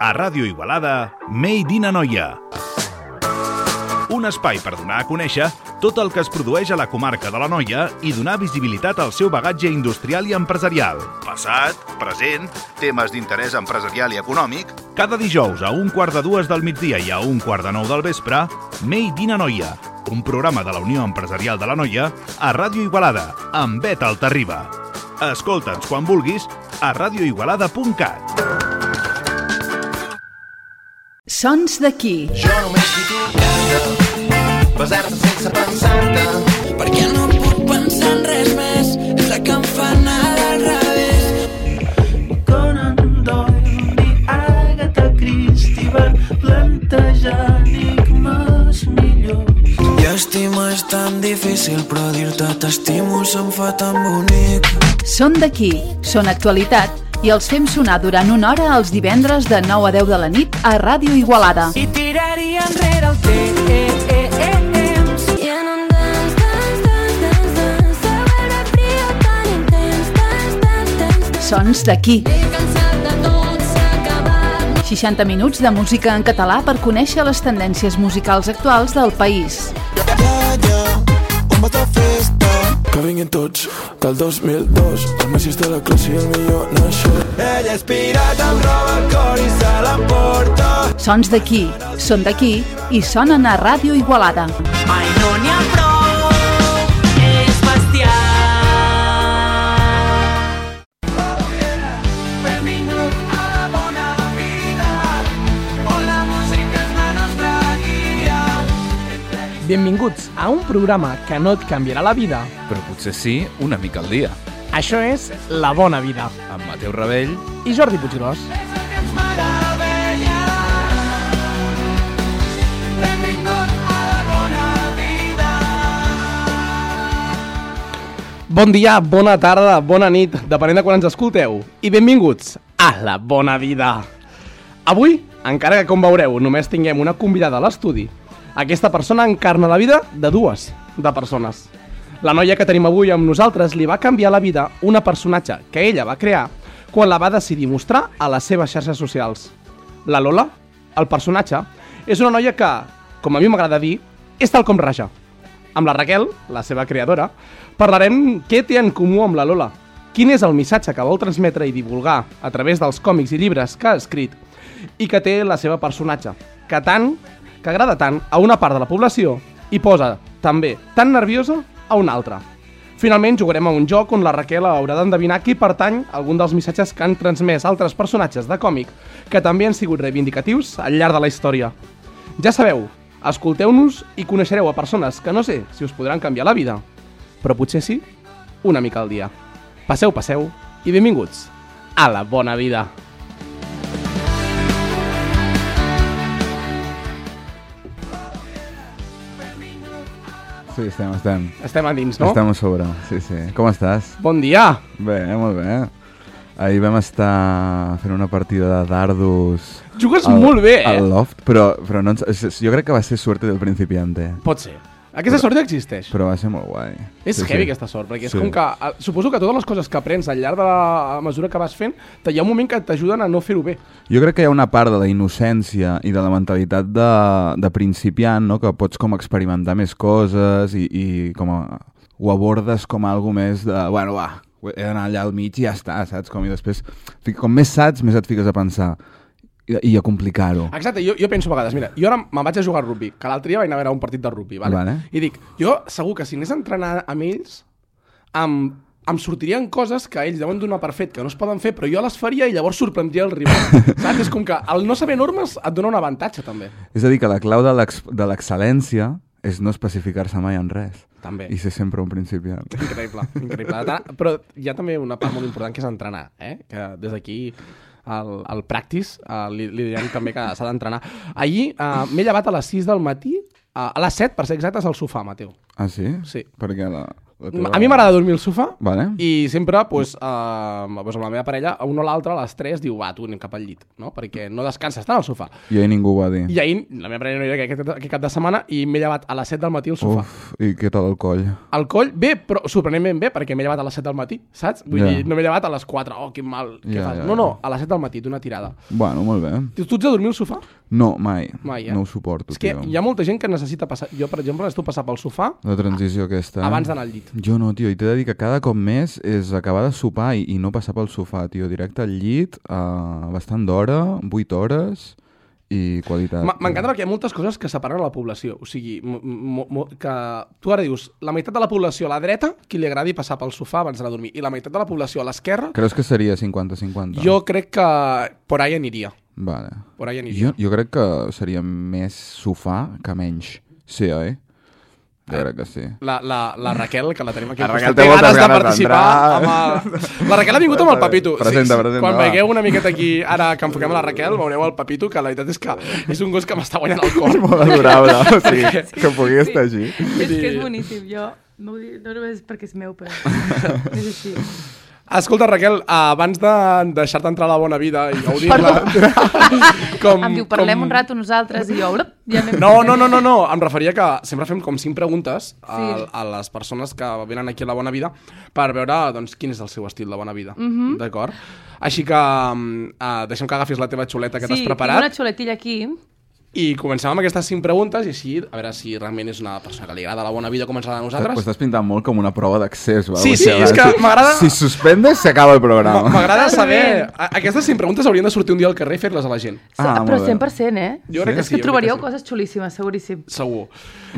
A Ràdio Igualada, Made in Anoia. Un espai per donar a conèixer tot el que es produeix a la comarca de l'Anoia i donar visibilitat al seu bagatge industrial i empresarial. Passat, present, temes d'interès empresarial i econòmic. Cada dijous a 1:15 del migdia i a 1:45 del vespre, Made in Anoia, un programa de la Unió Empresarial de l'Anoia a Ràdio Igualada, amb Bet Altarriba. Escolta'ns quan vulguis a radioigualada.cat. Sons d'aquí. Jo només vull tocar-te, besar-te sense pensar-te, perquè no puc pensar en res més, és la que em fa anar al revés. Conan Doyle i Agatha Christie van plantejar enigmes millors. I estimar és tan difícil, però dir-te t'estimo se'm fa tan bonic. Són d'aquí, són actualitat i els fem sonar durant una hora els divendres de 9 a 10 de la nit a Ràdio Igualada. I tiraria enrere el temps. Sons d'aquí. 60 minuts de música en català per conèixer les tendències musicals actuals del país. On va la festa? Que vinguin tots, que el 2002 el Messi és de la classe i el millor naixo. Ella és pirata amb roba al cor i se l'emporta. Sons d'aquí, són d'aquí i sonen a Ràdio Igualada. Ai, no n'hi ha prou, és bestial. Benvingut a la bona vida, on la música és la nostra guia. Benvinguts a un programa que no et canviarà la vida. Però potser sí, una mica al dia. Això és La Bona Vida. Amb Mateu Rebell. I Jordi Puiggròs. És el que ens meravella. Benvingut a la bona vida. Bon dia, bona tarda, bona nit, depenent de quan ens escolteu. I benvinguts a La Bona Vida. Avui, encara que com veureu només tinguem una convidada a l'estudi, aquesta persona encarna la vida de dues persones. La noia que tenim avui amb nosaltres li va canviar la vida una personatge que ella va crear quan la va decidir mostrar a les seves xarxes socials. La Lola, el personatge, és una noia que, com a mi m'agrada dir, és tal com raja. Amb la Raquel, la seva creadora, parlarem què té en comú amb la Lola, quin és el missatge que vol transmetre i divulgar a través dels còmics i llibres que ha escrit i que té la seva personatge, que agrada tant a una part de la població i posa també tan nerviosa a una altra. Finalment jugarem a un joc on la Raquel haurà d'endevinar qui pertany a algun dels missatges que han transmès altres personatges de còmic que també han sigut reivindicatius al llarg de la història. Ja sabeu, escolteu-nos i coneixereu a persones que no sé si us podran canviar la vida, però potser sí, una mica al dia. Passeu i benvinguts a La Bona Vida. Sí, estem. Estem a dins, no? Estem a sobre, sí. Com estàs? Bon dia! Bé, molt bé. Ahir vam estar fent una partida de dardos... Jugues molt bé, al loft, però no, jo crec que va ser suerte del principiante. Pot ser. Aquesta sort ja existeix. Però va ser molt guai. És heavy aquesta sort, perquè és com que... Suposo que totes les coses que aprens al llarg de la mesura que vas fent, hi ha un moment que t'ajuden a no fer-ho bé. Jo crec que hi ha una part de la innocència i de la mentalitat de principiant, no? Que pots com experimentar més coses i com ho abordes com algo més de... Bueno, va, he d'anar allà al mig i ja està, saps? I després, com més saps, més et fiques a pensar i a complicar-ho. Exacte, jo penso a vegades, mira, jo ara me'n vaig a jugar al rugby, que l'altre dia vaig anar a veure un partit de rugby, vale? I dic, jo segur que si anés a entrenar amb ells, em sortirien coses que ells deuen donar per fet que no es poden fer, però jo les faria i llavors sorprendria el rival. Saps? És com que el no saber normes et dona un avantatge, també. És a dir, que la clau de l'excel·lència és no especificar-se mai en res. També. I ser sempre un principiant. Increïble. Però hi ha també una part molt important que és entrenar, que des d'aquí... al practice li direm també que s'ha d'entrenar. Ahir m'he llevat a les 6 del matí, a les 7, per ser exactes, al sofà, Mateu. Ah, sí? Sí. Perquè A mi m'agrada dormir al sofà Vale. i sempre, doncs, amb la meva parella, un o l'altre a les 3 diu, va, tu anem cap al llit, no? Perquè no descanses tant al sofà. I ahir ningú ho va dir. I ahir, la meva parella no hi era aquest cap de setmana i m'he llevat a les 7 del matí al sofà. Uf, i què tal el coll? El coll, bé, però sorprenentment bé, perquè m'he llevat a les 7 del matí, saps? Vull dir, no m'he llevat a les 4, oh, quin mal, què fas? No, a les 7 del matí, d'una tirada. Bueno, molt bé. Tu ets de dormir al sofà? No, mai. Mai, No ho suporto, És que tio. hi ha molta gent que necessita passar... Jo, per exemple, necessito passar pel sofà La transició aquesta. abans d'anar al llit. Jo no, tio, i t'he de dir que cada cop més és acabar de sopar i no passar pel sofà, tio. Directe al llit, bastant d'hora, 8 hores i qualitat. M'encanta perquè hi ha moltes coses que separen la població. O sigui, que tu ara dius, la meitat de la població a la dreta, qui li agradi passar pel sofà abans d'anar a dormir, i la meitat de la població a l'esquerra, Creus que seria 50-50? jo crec que por ahí aniria. Vale. Por ahí aniria. Jo crec que seria més sofà que menys. Sí, oi? Jo crec que sí. La Raquel, que la tenim aquí La al Raquel costat, té té moltes ganes de ganes participar. d'entrar. La Raquel ha vingut amb el Papito. Presenta, Quan va. veieu una miqueta aquí, ara que enfoquem a la Raquel, veureu el Papito, que la veritat és que és un gos que m'està guanyant el cor. Molt adorable, o sigui, que pugui estar així. És que és boníssim, jo no ho dic, no només perquè és meu, però és així. Escolta, Raquel, abans de deixar-te entrar a la bona vida i gaudir-la... Em diu, parlem un rato nosaltres i jo... Ja No, em referia que sempre fem com 5 preguntes a les persones que venen aquí a la bona vida per veure doncs, quin és el seu estil de bona vida, d'acord? Així que deixem que agafis la teva xuleta que t'has preparat. Sí, tinc una xuletilla aquí. I comencem amb aquestes 5 preguntes i així, a veure si realment és una persona que li agrada la bona vida com ens agrada a Ho nosaltres. estàs pintant molt com una prova d'accés. Sí, és que m'agrada... Si suspendes, s'acaba el programa. M'agrada saber... Aquestes 5 preguntes haurien de sortir un dia al carrer i fer-les a la gent. Però 100%, eh? Jo crec que És sí. que trobaríeu coses xulíssimes, seguríssim. Segur.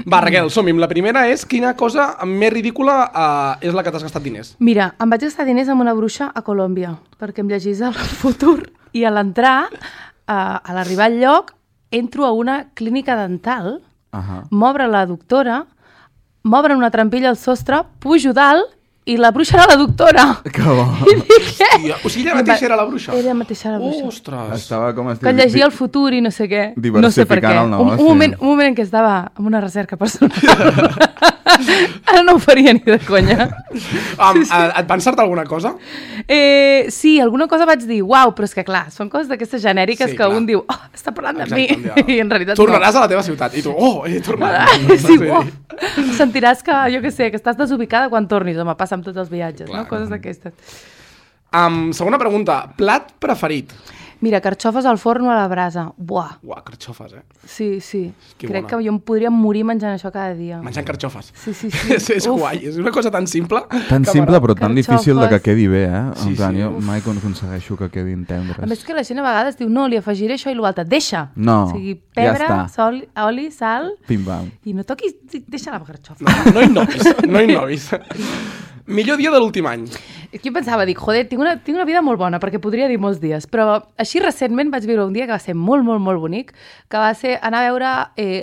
Va, Raquel, som-hi. La primera és quina cosa més ridícula és la que t'has gastat diners. Mira, em vaig gastar diners amb una bruixa a Colòmbia, perquè em llegís el futur, i a l'entrar, a l'arribar al lloc, entro a una clínica dental, m'obre la doctora, m'obren una trampilla al sostre, pujo dalt, i la bruixa era la doctora. Que bo. I dic, què? O sigui, ella mateixa era la bruixa? Ella mateixa era la bruixa. Ostres! Estava com Que llegia el futur i no sé què. No sé per què. Diversificant el negoci. Un moment en què estava amb una recerca personal. Ara no ho faria ni de conya. Et va encertar alguna cosa? Sí, alguna cosa vaig dir, uau, però és que clar, són coses d'aquestes genèriques que un diu, oh, està parlant de mi, i en realitat tornaràs a la teva ciutat, i tu, oh, he tornat. Sí, sentiràs que, jo què sé, que estàs desubicada quan tornis, home, passa amb tots els viatges, no? Coses d'aquestes. Segona pregunta, plat preferit? Mira, carxofes al forn o a la brasa. Buah. Uah, carxofes, eh? Sí. Que crec bona. que jo em podria morir menjant això cada dia. Menjant carxofes. Sí. És guai, és una cosa tan simple. Tan simple però tan difícil de que Carxofes. quedi bé, eh? Sí, En plan, sí. jo mai aconsegueixo que quedin tendres. A més que la gent a vegades diu, no, li afegiré això i l'altre. Deixa! No, O sigui, ja pebre, està. oli, sal, Pim-pam. i no toquis, deixa la carxofa. No innovis. Millor dia de l'últim any. Jo pensava, dic, joder, tinc una vida molt bona, perquè podria dir molts dies, però així recentment vaig viure un dia que va ser molt, molt, molt bonic, que va ser anar a veure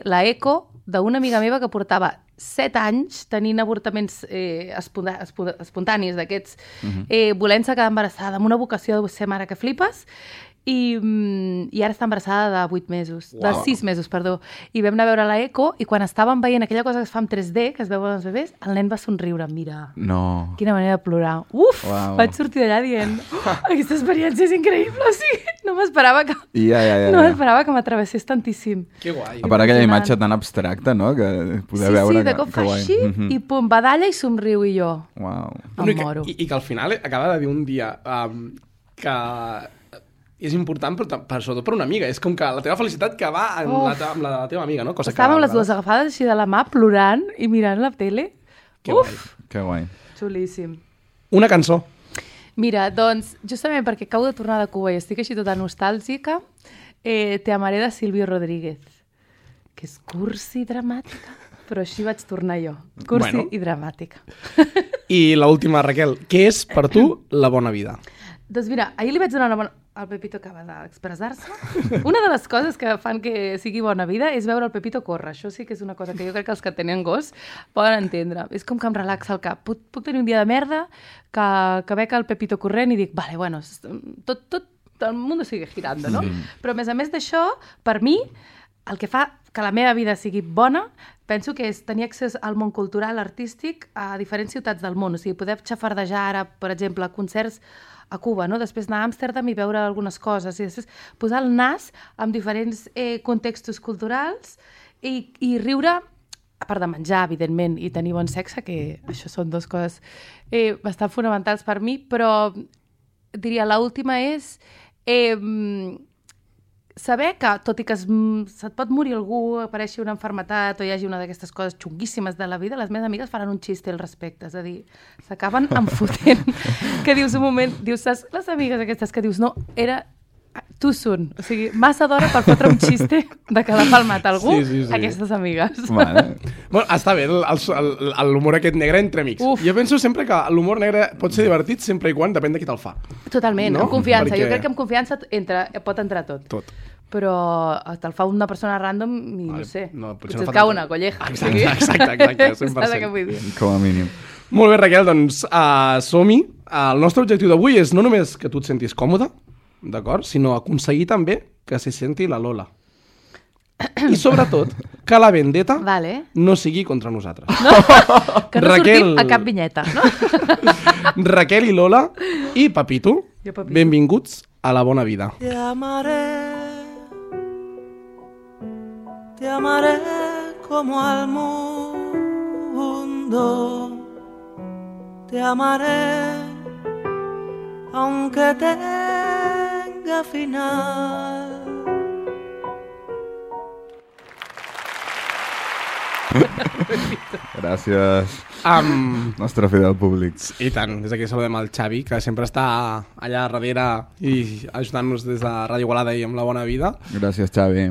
la eco d'una amiga meva que portava 7 anys tenint avortaments espontanis d'aquests, volent-se quedar embarassada, amb una vocació de ser mare que flipes, i ara està embarassada de 8 mesos, de 6 mesos, perdó. I vam anar a veure la eco i quan estàvem veient aquella cosa que es fa en 3D, que es veuen els bebès, el nen va somriure, mira. No. Quina manera de plorar. Uf, Uau. vaig sortir d'allà dient, aquesta experiència és increïble, sí. No m'esperava que... No m'esperava que m'atravessés tantíssim. Que guai. A part aquella imatge tan abstracta, no?, que poder veure... Sí, de cop fa així i pum, badalla i somriu i jo. Uau. No, Em moro. I que al final acaba de dir un dia que és important, però sobretot per una amiga. És com que la teva felicitat que va amb la teva amiga, no? Cosa Estàvem que, les dues agafades així de la mà, plorant i mirant la tele. Que guai. Que guai. Xulíssim. Una cançó. Mira, doncs, justament perquè acabo de tornar de Cuba i estic així tota nostàlgica, Te amaré de Silvio Rodríguez, que és cursi i dramàtica, però així vaig tornar jo. Cursi i dramàtica. I l'última, Raquel, què és per tu la bona vida? Doncs mira, ahir li vaig donar una bona... El Pepito acaba d'expressar-se. Una de les coses que fan que sigui bona vida és veure el Pepito córrer. Això sí que és una cosa que jo crec que els que tenen gos poden entendre. És com que em relaxa el cap. Puc tenir un dia de merda que veig el Pepito corrent i dic, vale, bueno, tot el món sigue girando, no? Però a més d'això, per mi, el que fa que la meva vida sigui bona, penso que és tenir accés al món cultural, artístic, a diferents ciutats del món. O sigui, poder xafardejar ara, per exemple, concerts a Cuba, no? Després anar a Amsterdam i veure algunes coses, i després posar el nas en diferents contextos culturals i riure, a part de menjar, evidentment, i tenir bon sexe, que això són dues coses bastant fonamentals per mi, però diria, l'última és saber que, tot i que se't pot morir algú, apareixi una malaltia o hi hagi una d'aquestes coses xunguíssimes de la vida, les meves amigues faran un xiste al respecte, és a dir, s'acaben enfotent. Que dius un moment, saps les amigues aquestes que dius, no, era too soon, o sigui, massa d'hora per fotre un xiste de que l'ha palmat algú, aquestes amigues. Vale. Bueno, està bé l'humor aquest negre entre amics. Jo penso sempre que l'humor negre pot ser divertit sempre i quan depèn de qui te'l fa. Totalment, amb confiança. Jo crec que amb confiança pot entrar tot. Però te'l fa una persona random i no sé, potser et cau una colleja. Exacte, 100%. Com a mínim. Molt bé, Raquel, doncs som-hi. El nostre objectiu d'avui és no només que tu et sentis còmode, d'acord? Sinó aconseguir també que se senti la Lola. I sobretot, que la vendetta no sigui contra nosaltres. No, que no sortim a cap vinyeta. No? Raquel i Lola i Papito, benvinguts a La Bona Vida. Te amaré como al mundo, te amaré aunque tenga final. Gràcies, nostre fidel públic. I tant, des d'aquí saludem el Xavi, que sempre està allà darrere i ajudant-nos des de Ràdio Igualada i amb La Bona Vida. Gràcies, Xavi.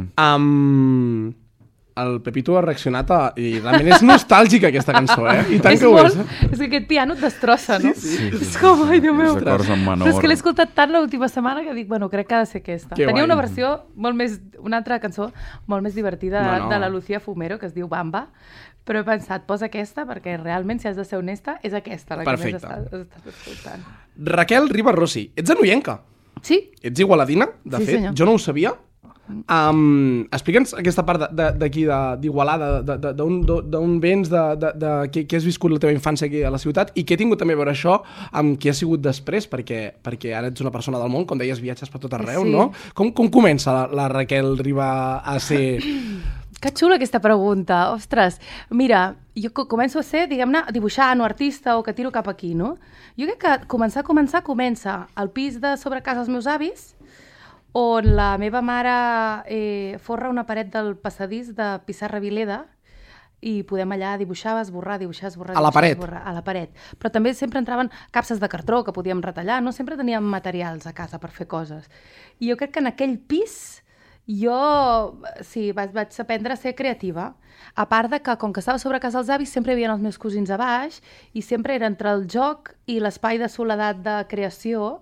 El Pepito ha reaccionat i realment és nostàlgica aquesta cançó, I tant que ho és. És que aquest piano et destrossa, no? Sí. És com, ai, Déu meu. Els acords en menor. Però és que l'he escoltat tant l'última setmana que dic, bueno, crec que ha de ser aquesta. Que Tenia guai. una versió molt més, una altra cançó molt més divertida de la Lucía Fumero, que es diu Bamba, però he pensat, posa aquesta, perquè realment, si has de ser honesta, és aquesta la que més estàs escoltant. Raquel Ribas Rossi, ets anoienca? Sí. Ets igualadina, de fet, senyor. jo no ho sabia. Explica'ns aquesta part d'aquí d'Igualada, d'on vens, què has viscut la teva infància aquí a la ciutat i què ha tingut també a veure això amb qui ha sigut després, perquè ara ets una persona del món, com deies, viatges per tot arreu, no? Com comença la Raquel Ribas a ser... Que xula aquesta pregunta, ostres. Mira, jo començo a ser, diguem-ne, dibuixant o artista o que tiro cap aquí, no? Jo crec que comença al pis de sobre casa dels meus avis, on la meva mare forra una paret del passadís de pissarra Vileda i podem allà dibuixar, esborrar. A la paret? A la paret. Però també sempre entraven capses de cartró que podíem retallar, no? Sempre teníem materials a casa per fer coses. I jo crec que en aquell pis vaig aprendre a ser creativa. A part de que, com que estava sobre casa dels avis, sempre hi havia els meus cosins a baix i sempre era entre el joc i l'espai de soledat de creació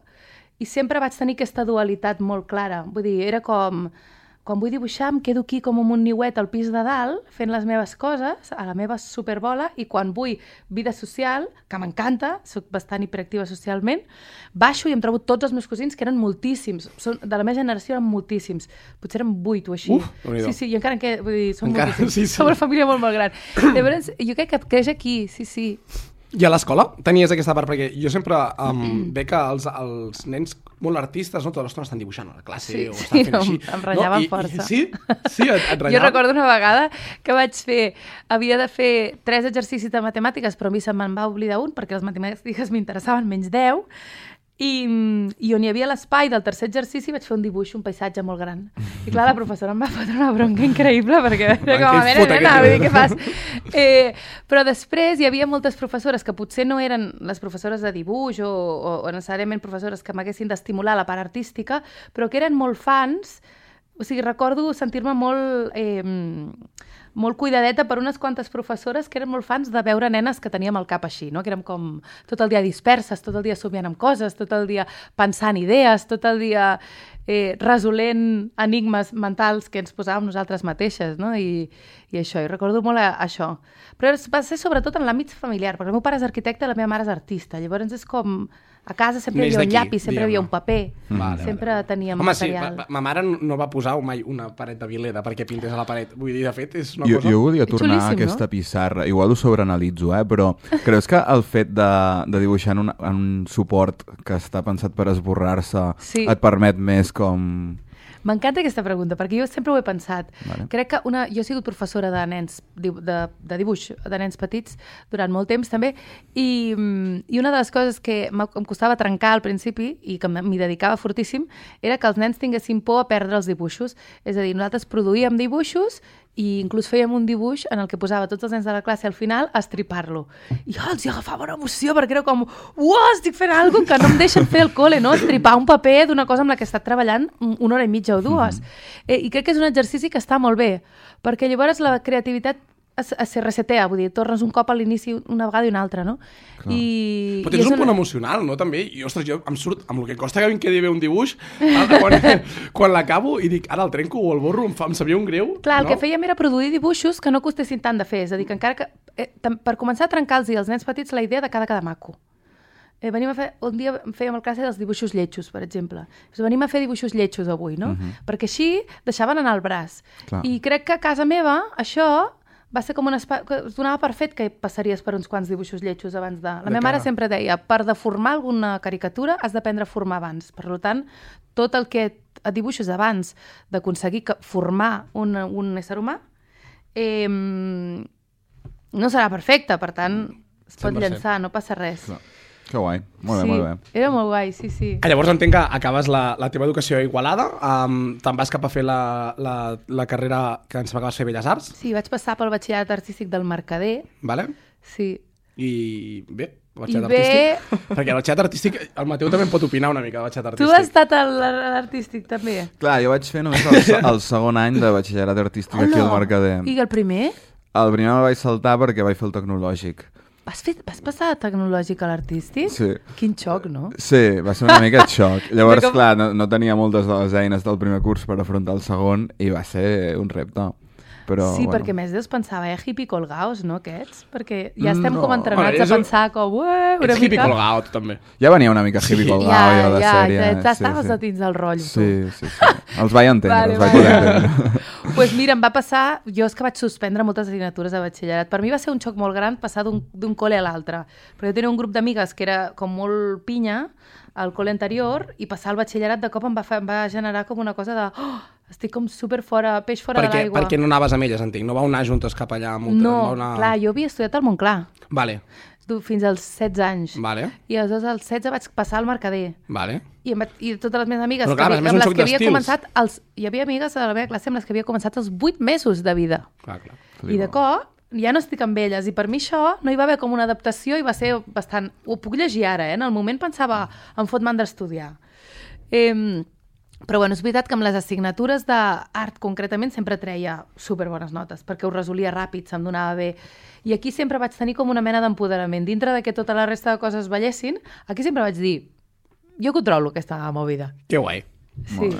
i sempre vaig tenir aquesta dualitat molt clara. Vull dir, era com... Quan vull dibuixar em quedo aquí com un niuet al pis de dalt fent les meves coses, a la meva superbola, i quan vull vida social, que m'encanta, soc bastant hiperactiva socialment, baixo i em trobo tots els meus cosins, que eren moltíssims. De la meva generació eren moltíssims. Potser eren 8 o així. Sí, i encara vull dir, són moltíssims. Sí. Som una família molt gran. Llavors, jo crec que creix aquí, sí. I a l'escola tenies aquesta part? Perquè jo sempre veig que els nens molt artistes, no? Tota l'estona estan dibuixant a la classe o estan fent així. Em ratllaven força. Sí, et ratllaven. Jo recordo una vegada que havia de fer 3 exercicis de matemàtiques, però a mi se'm va oblidar un perquè les matemàtiques m'interessaven menys 10, i on hi havia l'espai del tercer exercici vaig fer un dibuix, un paisatge molt gran. I clar, la professora em va fotre una bronca increïble perquè com a nena, vull dir, què fas? Però després hi havia moltes professores que potser no eren les professores de dibuix o necessàriament professores que m'haguessin d'estimular la part artística, però que eren molt fans. O sigui, recordo sentir-me molt cuidadeta per unes quantes professores que eren molt fans de veure nenes que teníem el cap així, no? Que érem com tot el dia disperses, tot el dia somiant amb coses, tot el dia pensant idees, tot el dia resolent enigmes mentals que ens posàvem nosaltres mateixes, no? I això, i recordo molt això. Però va ser sobretot en l'àmbit familiar, perquè el meu pare és arquitecte i la meva mare és artista, llavors és com A casa sempre hi Neix havia un d'aquí, llapis, sempre hi havia un paper, Vale, sempre teníem Home, sí, material. ma mare no va posar mai una paret de Vileda perquè pintés a la paret. Vull dir, de fet, és una Jo cosa... volia tornar a xulíssim, aquesta no? pissarra. Igual ho sobreanalitzo, però creus que el fet de dibuixar en un suport que està pensat per esborrar-se Sí. et permet més com... M'encanta aquesta pregunta, perquè jo sempre ho he pensat. Vale. Crec que jo he sigut professora de nens, de dibuix de nens petits durant molt temps també, i una de les coses que em costava trencar al principi i que m'hi dedicava fortíssim era que els nens tinguessin por a perdre els dibuixos. És a dir, nosaltres produïem dibuixos i inclús fèiem un dibuix en el que posava tots els nens de la classe al final a estripar-lo. I jo els hi agafava una emoció perquè era com, uah, estic fent alguna cosa que no em deixen fer al col·le, no? Estripar un paper d'una cosa amb la que he estat treballant una hora i mitja o dues. I crec que és un exercici que està molt bé, perquè llavors la creativitat es resetea, vull dir, tornes un cop a l'inici una vegada i una altra, no? Però tens un punt emocional, no? També, i ostres, jo em surt, amb el que costa que em quedi bé un dibuix, quan l'acabo i dic, ara el trenco o el borro, em sabia un greu. Clar, el no? que fèiem era produir dibuixos que no costessin tant de fer, és a dir, que encara que, per començar a trencar-los als nens petits la idea de cada maco. Un dia fèiem el classe dels dibuixos lletjos, per exemple. Venim a fer dibuixos lletjos avui, no? Perquè així deixaven anar el braç. Clar. I crec que a casa meva això va ser com un espai que es donava per fet que passaries per uns quants dibuixos lletjos abans de... La meva mare sempre deia, per deformar alguna caricatura has d'aprendre a formar abans. Per tant, tot el que et dibuixes abans d'aconseguir formar un ésser humà no serà perfecte, per tant, es pot 100%. llançar, no passa res. Clar. Que guai, molt bé, Sí, molt bé. era molt guai, sí. Llavors entenc que acabes la teva educació a Igualada, te'n vas cap a fer la carrera que ens va acabar de fer Belles Arts, Sí, vaig passar pel batxillerat artístic del Mercader, vale? sí. I bé, batxillerat I bé- artístic. Perquè el batxillerat artístic, el Mateu també en pot opinar una mica de batxillerat Tu artístic. has estat a l'artístic també? Clar, jo vaig fer només el segon any de batxillerat artístic aquí al Mercader. I el primer? El primer me'l vaig saltar perquè vaig fer el tecnològic. Vas passar de tecnològic a l'artístic? Sí. Quin xoc, no? Sí, va ser una mica xoc. Llavors, Com- clar, no tenia moltes de les eines del primer curs per afrontar el segon i va ser un repte. Però, Sí, bueno. perquè més Déus pensava, hippie colgaos, no, aquests? Perquè ja estem No. com entrenats Bueno, a pensar com, una Ets hippie mica... colgao, tu també. Ja venia una mica hippie colgao, jo, de sèrie. Ja estaves a dins del rotllo, Sí. Els vaig entendre, Vale, els vaig vale. poder entendre. Pues mira, em va passar... Jo és que vaig suspendre moltes assignatures de batxillerat. Per mi va ser un xoc molt gran passar d'un col·le a l'altre. Perquè jo tenia un grup d'amigues que era com molt pinya al col·le anterior i passar al batxillerat de cop em va generar com una cosa de... Oh, estic com super fora, peix fora de l'aigua. Perquè no anaves amb elles, entenc? No vau anar juntes cap allà? No, clar, jo havia estudiat al Montclar Vale, fins als 16 anys. vale, I aleshores als 16 vaig passar al Mercader. vale. I totes les meves amigues Però clar, a més un amb les xoc que havia d'estils. començat... Hi havia amigues a la meva classe amb les que havia començat els 8 mesos de vida. Clar. I de cop ja no estic amb elles. I per mi això no hi va haver com una adaptació i va ser bastant... Ho puc llegir ara, En el moment pensava, em fot mandra estudiar. Però bueno, és veritat que amb les assignatures d'art concretament sempre treia superbones notes, perquè ho resolia ràpid, se'm donava bé. I aquí sempre vaig tenir com una mena d'empoderament. Dintre de que tota la resta de coses ballessin, aquí sempre vaig dir, jo controlo aquesta movida. Que guai. Sí.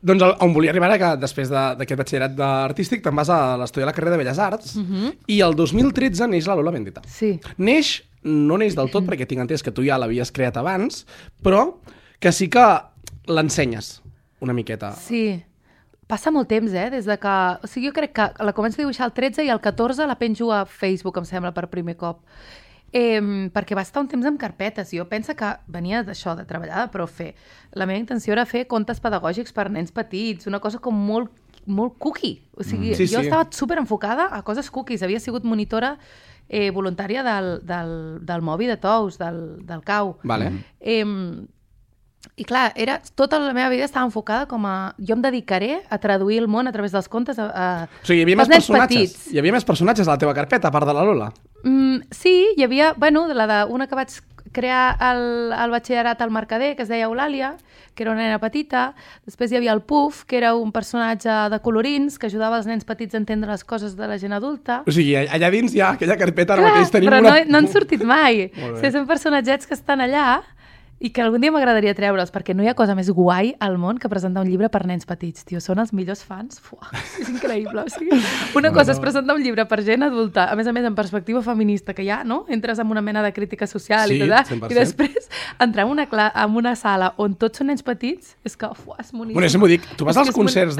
Doncs on volia arribar era que després d'aquest batxillerat artístic te'n vas a l'estudiar la carrera de Belles Arts i el 2013 neix la Lola Bendita. Sí. No neix del tot perquè tinc entès que tu ja l'havies creat abans, però que sí que l'ensenyes una miqueta. Sí. Passa molt temps, des de que... O sigui, jo crec que la començo a dibuixar el 13 i el 14 la penjo a Facebook, em sembla, per primer cop. Perquè va estar un temps amb carpetes. Jo penso que venia d'això, de treballar de profe. La meva intenció era fer contes pedagògics per nens petits, una cosa com molt, molt cookie. O sigui, Sí, jo sí. estava super enfocada a coses cookies. Havia sigut monitora voluntària del Mobi de Tous, del CAU. Vale. I clar, tota la meva vida estava enfocada com a... Jo em dedicaré a traduir el món a través dels contes O sigui, hi havia més pels nens personatges. petits. Hi havia més personatges a la teva carpeta, a part de la Lola. Sí, hi havia, una que vaig crear al batxillerat al Mercader, que es deia Eulàlia, que era una nena petita. Després hi havia el Puff, que era un personatge de colorins, que ajudava els nens petits a entendre les coses de la gent adulta. O sigui, allà dins hi ha aquella carpeta, ara Clar, mateix tenim però una... no han sortit mai. Molt bé. O sigui, són personatgets que estan allà I que algun dia m'agradaria treure'ls, perquè no hi ha cosa més guai al món que presentar un llibre per nens petits, tio. Són els millors fans. Fuà, és increïble. O sigui, una cosa és presentar un llibre per gent adulta, a més en perspectiva feminista, que ja, no? Entres en una mena de crítica social i tot, 100%. i després entrar en una sala on tots són nens petits, és que, fuà, és boníssim. Bueno, això m'ho dic, tu vas És que als és concerts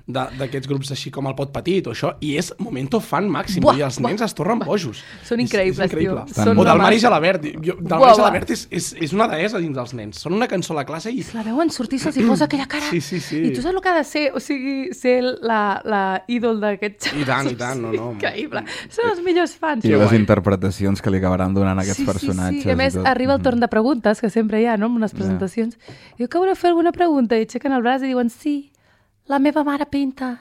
d'aquests grups així com el Pot Petit o això, i és momento fan màxim, i els nens es tornen bojos. Són increïbles, és increïble. tio. Són O del una Mari màquina. Gelabert. Del Mari Gelabert és una deessa dins dels nens. Són una cançó a la classe i... La veuen sortir, se'ls hi posa aquella cara. Sí. I tu saps el que ha de ser? O sigui, ser la ídol d'aquests xavals. I tant, no. Increïble. Són els millors fans. I les interpretacions que li acabaran donant a aquests personatges. Sí. A més, arriba el torn de preguntes, que sempre hi ha, no?, en unes presentacions. Diu que voleu fer alguna pregunta? I aixequen el braç i diuen sí. La meva mare pinta.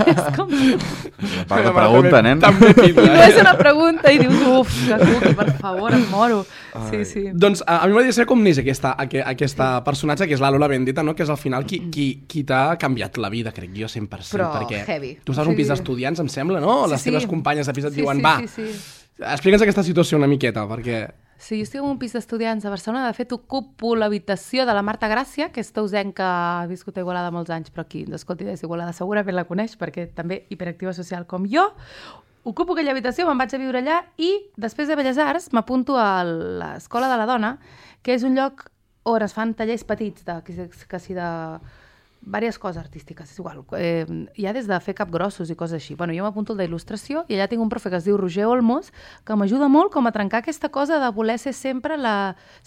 És com... Per la pregunta, nen. També pinta. I no és una pregunta i dius, uf, que cuqui, per favor, em moro. Sí. Doncs a mi m'agradaria saber com neix aquesta personatge, que és la Lola Vendetta, no? Que és al final qui t'ha canviat la vida, crec jo, 100%. Però perquè heavy. Tu estàs a un pis d'estudiants, em sembla, no? Les teves companyes de pis et diuen, va, Sí. explica'ns aquesta situació una miqueta, perquè... Sí, jo estic en un pis d'estudiants a Barcelona. De fet, ocupo l'habitació de la Marta Gràcia, que és tausenca que ha viscut a Igualada molts anys, però qui ens escolti des d'Igualada segurament la coneix, perquè també hiperactiva social com jo. Ocupo aquella habitació, me'n vaig a viure allà i després de Belles Arts m'apunto a l'Escola de la Dona, que és un lloc on es fan tallers petits, quasi de diverses coses artístiques, és igual. Hi ha des de fer capgrossos i coses així. Bueno, jo m'apunto al d'il·lustració i allà tinc un profe que es diu Roger Olmos, que m'ajuda molt com a trencar aquesta cosa de voler ser sempre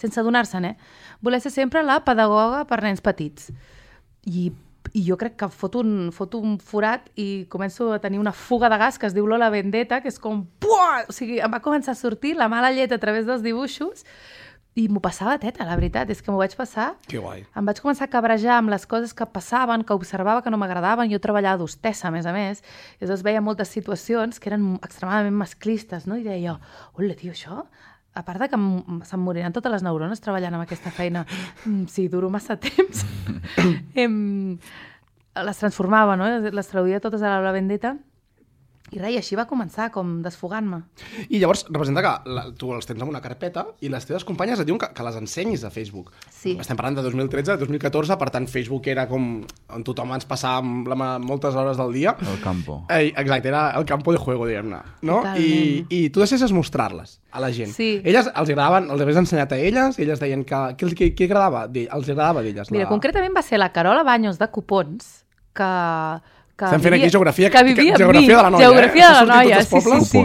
sense adonar-se'n, voler ser sempre la pedagoga per nens petits. I jo crec que foto un forat i començo a tenir una fuga de gas que es diu Lola Vendetta, que és com... Puah! O sigui, em va començar a sortir la mala llet a través dels dibuixos i m'ho passava teta, la veritat, és que m'ho vaig passar. Que guai. Em vaig començar a cabrejar amb les coses que passaven, que observava que no m'agradaven. Jo treballava d'hostessa, a més, i llavors veia moltes situacions que eren extremadament masclistes, no? I deia jo, hola, tio, això... A part de que se'm moriran totes les neurones treballant amb aquesta feina, si duro massa temps, les transformava, no? Les traduïa totes a la Vendetta. I res, i així va començar, com desfogant-me. I llavors representa que tu els tens en una carpeta i les teves companyes et diuen que les ensenyis a Facebook. Sí. Estem parlant de 2013, 2014, per tant Facebook era com on tothom ens passava moltes hores del dia. El campo. Exacte, era el campo de juego, diguem-ne. No? I tu deixessis mostrar-les a la gent. Sí. Elles els agradaven, els havies ensenyat a elles, i elles deien que què agradava, els agradava d'elles. Mira, concretament va ser la Carola Baños de Copons, que estem fent aquí geografia de la noia. Geografia de la noia, sí.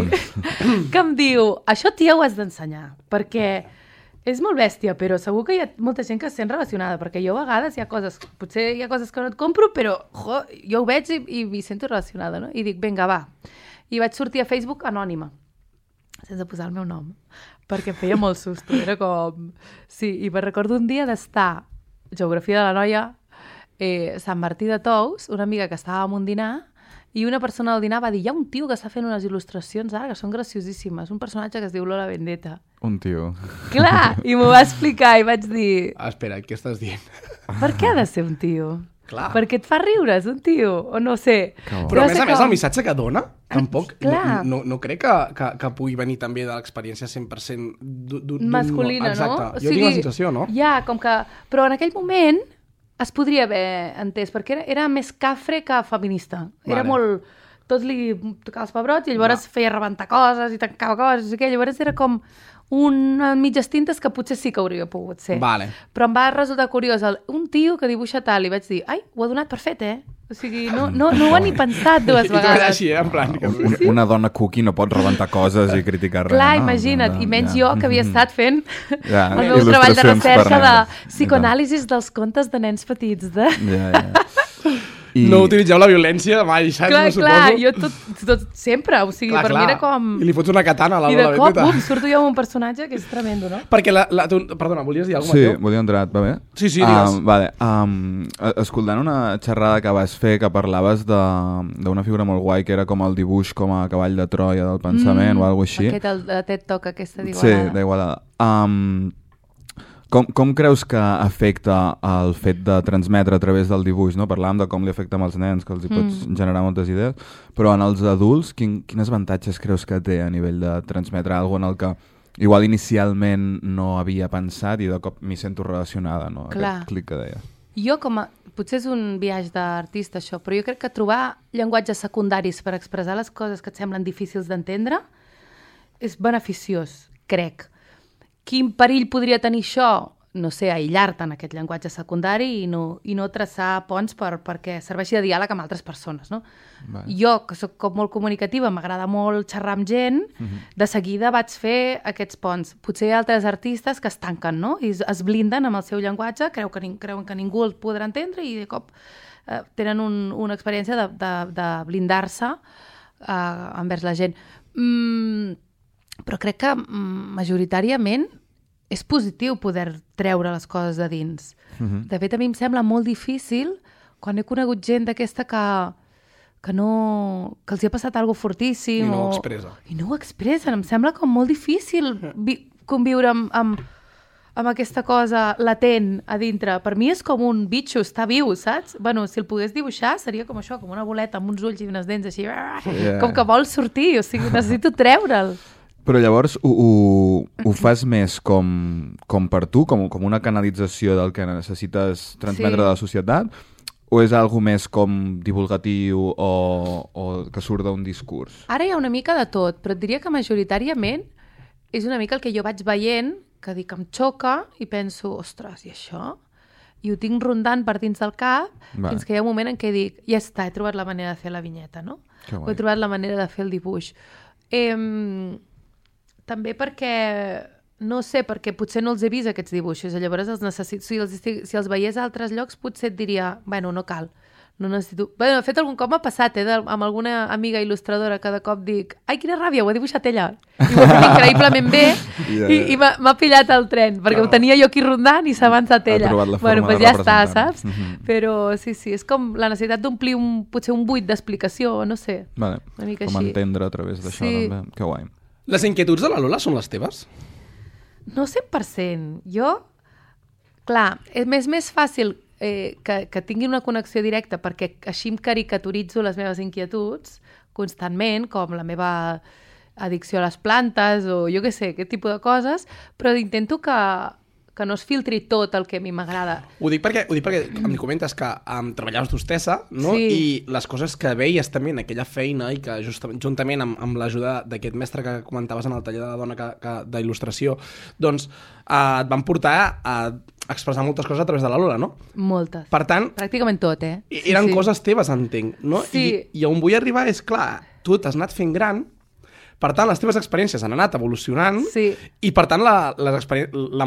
Que em diu, això, tia, ho has d'ensenyar, perquè és molt bèstia, però segur que hi ha molta gent que es sent relacionada, perquè jo a vegades potser hi ha coses que no et compro, però jo ho veig i m'hi sento relacionada, no? I dic, vinga, va. I vaig sortir a Facebook anònima, sense posar el meu nom, perquè em feia molt susto, era com... Sí, i me'n recordo un dia d'estar Geografia de la noia, Sant Martí de Tous, una amiga que estava en un dinar, i una persona al dinar va dir, hi ha un tio que està fent unes il·lustracions ara que són graciosíssimes, un personatge que es diu Lola Vendetta. Un tio. Clar, i m'ho va explicar i vaig dir... Espera, què estàs dient? Per què ha de ser un tio? Clar. Perquè et fa riure, és un tio, o no sé. Però a més, el missatge que dona, tampoc, no crec que pugui venir també de l'experiència 100% masculina, no? Exacte, jo tinc la sensació, no? Ja, com que... Però en aquell moment es podria haver entès, perquè era més cafre que feminista. Era molt... Tot li tocava els pebrots i llavors feia rebentar coses i tancava coses, i llavors era com una mitges tintes que potser sí que hauria pogut ser. Però em va resultar curiós un tio que dibuixa tal i vaig dir, ai, ho ha donat per fet, O sigui, no ho ha ni pensat dues vegades. Així, en plan... Una dona cookie no pot rebentar coses i criticar res. Clar, imagina't, i menys jo que havia estat fent el meu treball de recerca de psicoanàlisis dels contes de nens petits. No utilitzeu la violència mai, saps? Clar, jo tot sempre, o sigui, per mi era com... I li fots una katana a la Lola Vendetta. I de cop, surto jo amb un personatge que és tremendo, no? Perquè perdona, volies dir alguna cosa? Sí, volia entrar, va bé? Sí, digues. Vale, escoltant una xerrada que vas fer que parlaves d'una figura molt guai que era com el dibuix com a cavall de Troia del pensament o alguna cosa així. Aquest, el TED Talk, aquesta d'Igualada. Sí, d'Igualada. Com creus que afecta el fet de transmetre a través del dibuix? No? Parlàvem de com li afecta als nens, que els hi pots generar moltes idees, però en els adults, quins avantatges creus que té a nivell de transmetre alguna cosa en el que igual inicialment no havia pensat i de cop m'hi sento relacionada, no? Clar. Aquest clic que deia. Jo potser és un viatge d'artista això, però jo crec que trobar llenguatges secundaris per expressar les coses que et semblen difícils d'entendre és beneficiós, crec. Quin perill podria tenir això? No sé, aïllar-te en aquest llenguatge secundari i no traçar ponts perquè serveixi de diàleg amb altres persones, no? Vale. Jo, que sóc com molt comunicativa, m'agrada molt xerrar amb gent, de seguida vaig fer aquests ponts. Potser hi ha altres artistes que es tanquen, no? I es blinden amb el seu llenguatge, creuen que ningú el podrà entendre i de cop tenen una experiència de blindar-se envers la gent. Però crec que majoritàriament és positiu poder treure les coses de dins. De fet, a mi em sembla molt difícil quan he conegut gent d'aquesta que els hi ha passat alguna cosa fortíssim. I no ho expressa. I no ho expressen. Em sembla com molt difícil conviure amb aquesta cosa latent a dintre. Per mi és com un bitxo, està viu, saps? Bueno, si el pogués dibuixar seria com això, com una boleta amb uns ulls i unes dents així, com que vol sortir, o sigui, necessito treure'l. Però llavors ho fas més com per tu, com una canalització del que necessites transmetre de la societat, o és algo més com divulgatiu o que surt d'un discurs? Ara hi ha una mica de tot, però et diria que majoritàriament és una mica el que jo vaig veient, que dic, em xoca i penso, ostres, i això? I ho tinc rondant per dins del cap, fins que hi ha un moment en què dic, ja està, he trobat la manera de fer la vinyeta, no? O he trobat la manera de fer el dibuix. També perquè, no sé, perquè potser no els he vist aquests dibuixos, i llavors els necessito, si els veiés a altres llocs potser et diria, bueno, no cal, no necessito... Bé, de fet, algun cop m'ha passat, amb alguna amiga il·lustradora que de cop dic, ai, quina ràbia, ho ha dibuixat ella. I ho ha fet increïblement bé i m'ha pillat el tren, perquè ho tenia jo aquí rondant i s'ha avançat ella. Ha trobat la forma bueno, pues de ja està, saps? Però sí, és com la necessitat d'omplir potser un buit d'explicació, no sé. Vale. Una mica com així. Entendre a través d'això, també. Que guai. Les inquietuds de la Lola són les teves? No 100%. Jo, clar, és més fàcil que tingui una connexió directa perquè així em caricaturitzo les meves inquietuds constantment, com la meva addicció a les plantes o jo què sé, aquest tipus de coses, però intento que no es filtri tot el que a mi m'agrada. Ho dic perquè em comentes que treballaves d'hostessa, no? Sí. I les coses que veies també en aquella feina i que juntament amb l'ajuda d'aquest mestre que comentaves en el taller de la dona d'il·lustració, doncs et van portar a expressar moltes coses a través de la Lola, no? Moltes. Per tant... Pràcticament tot, Eren coses teves, entenc, no? Sí. I on vull arribar és, clar, tu t'has anat fent gran. Per tant, les teves experiències han anat evolucionant i, per tant, la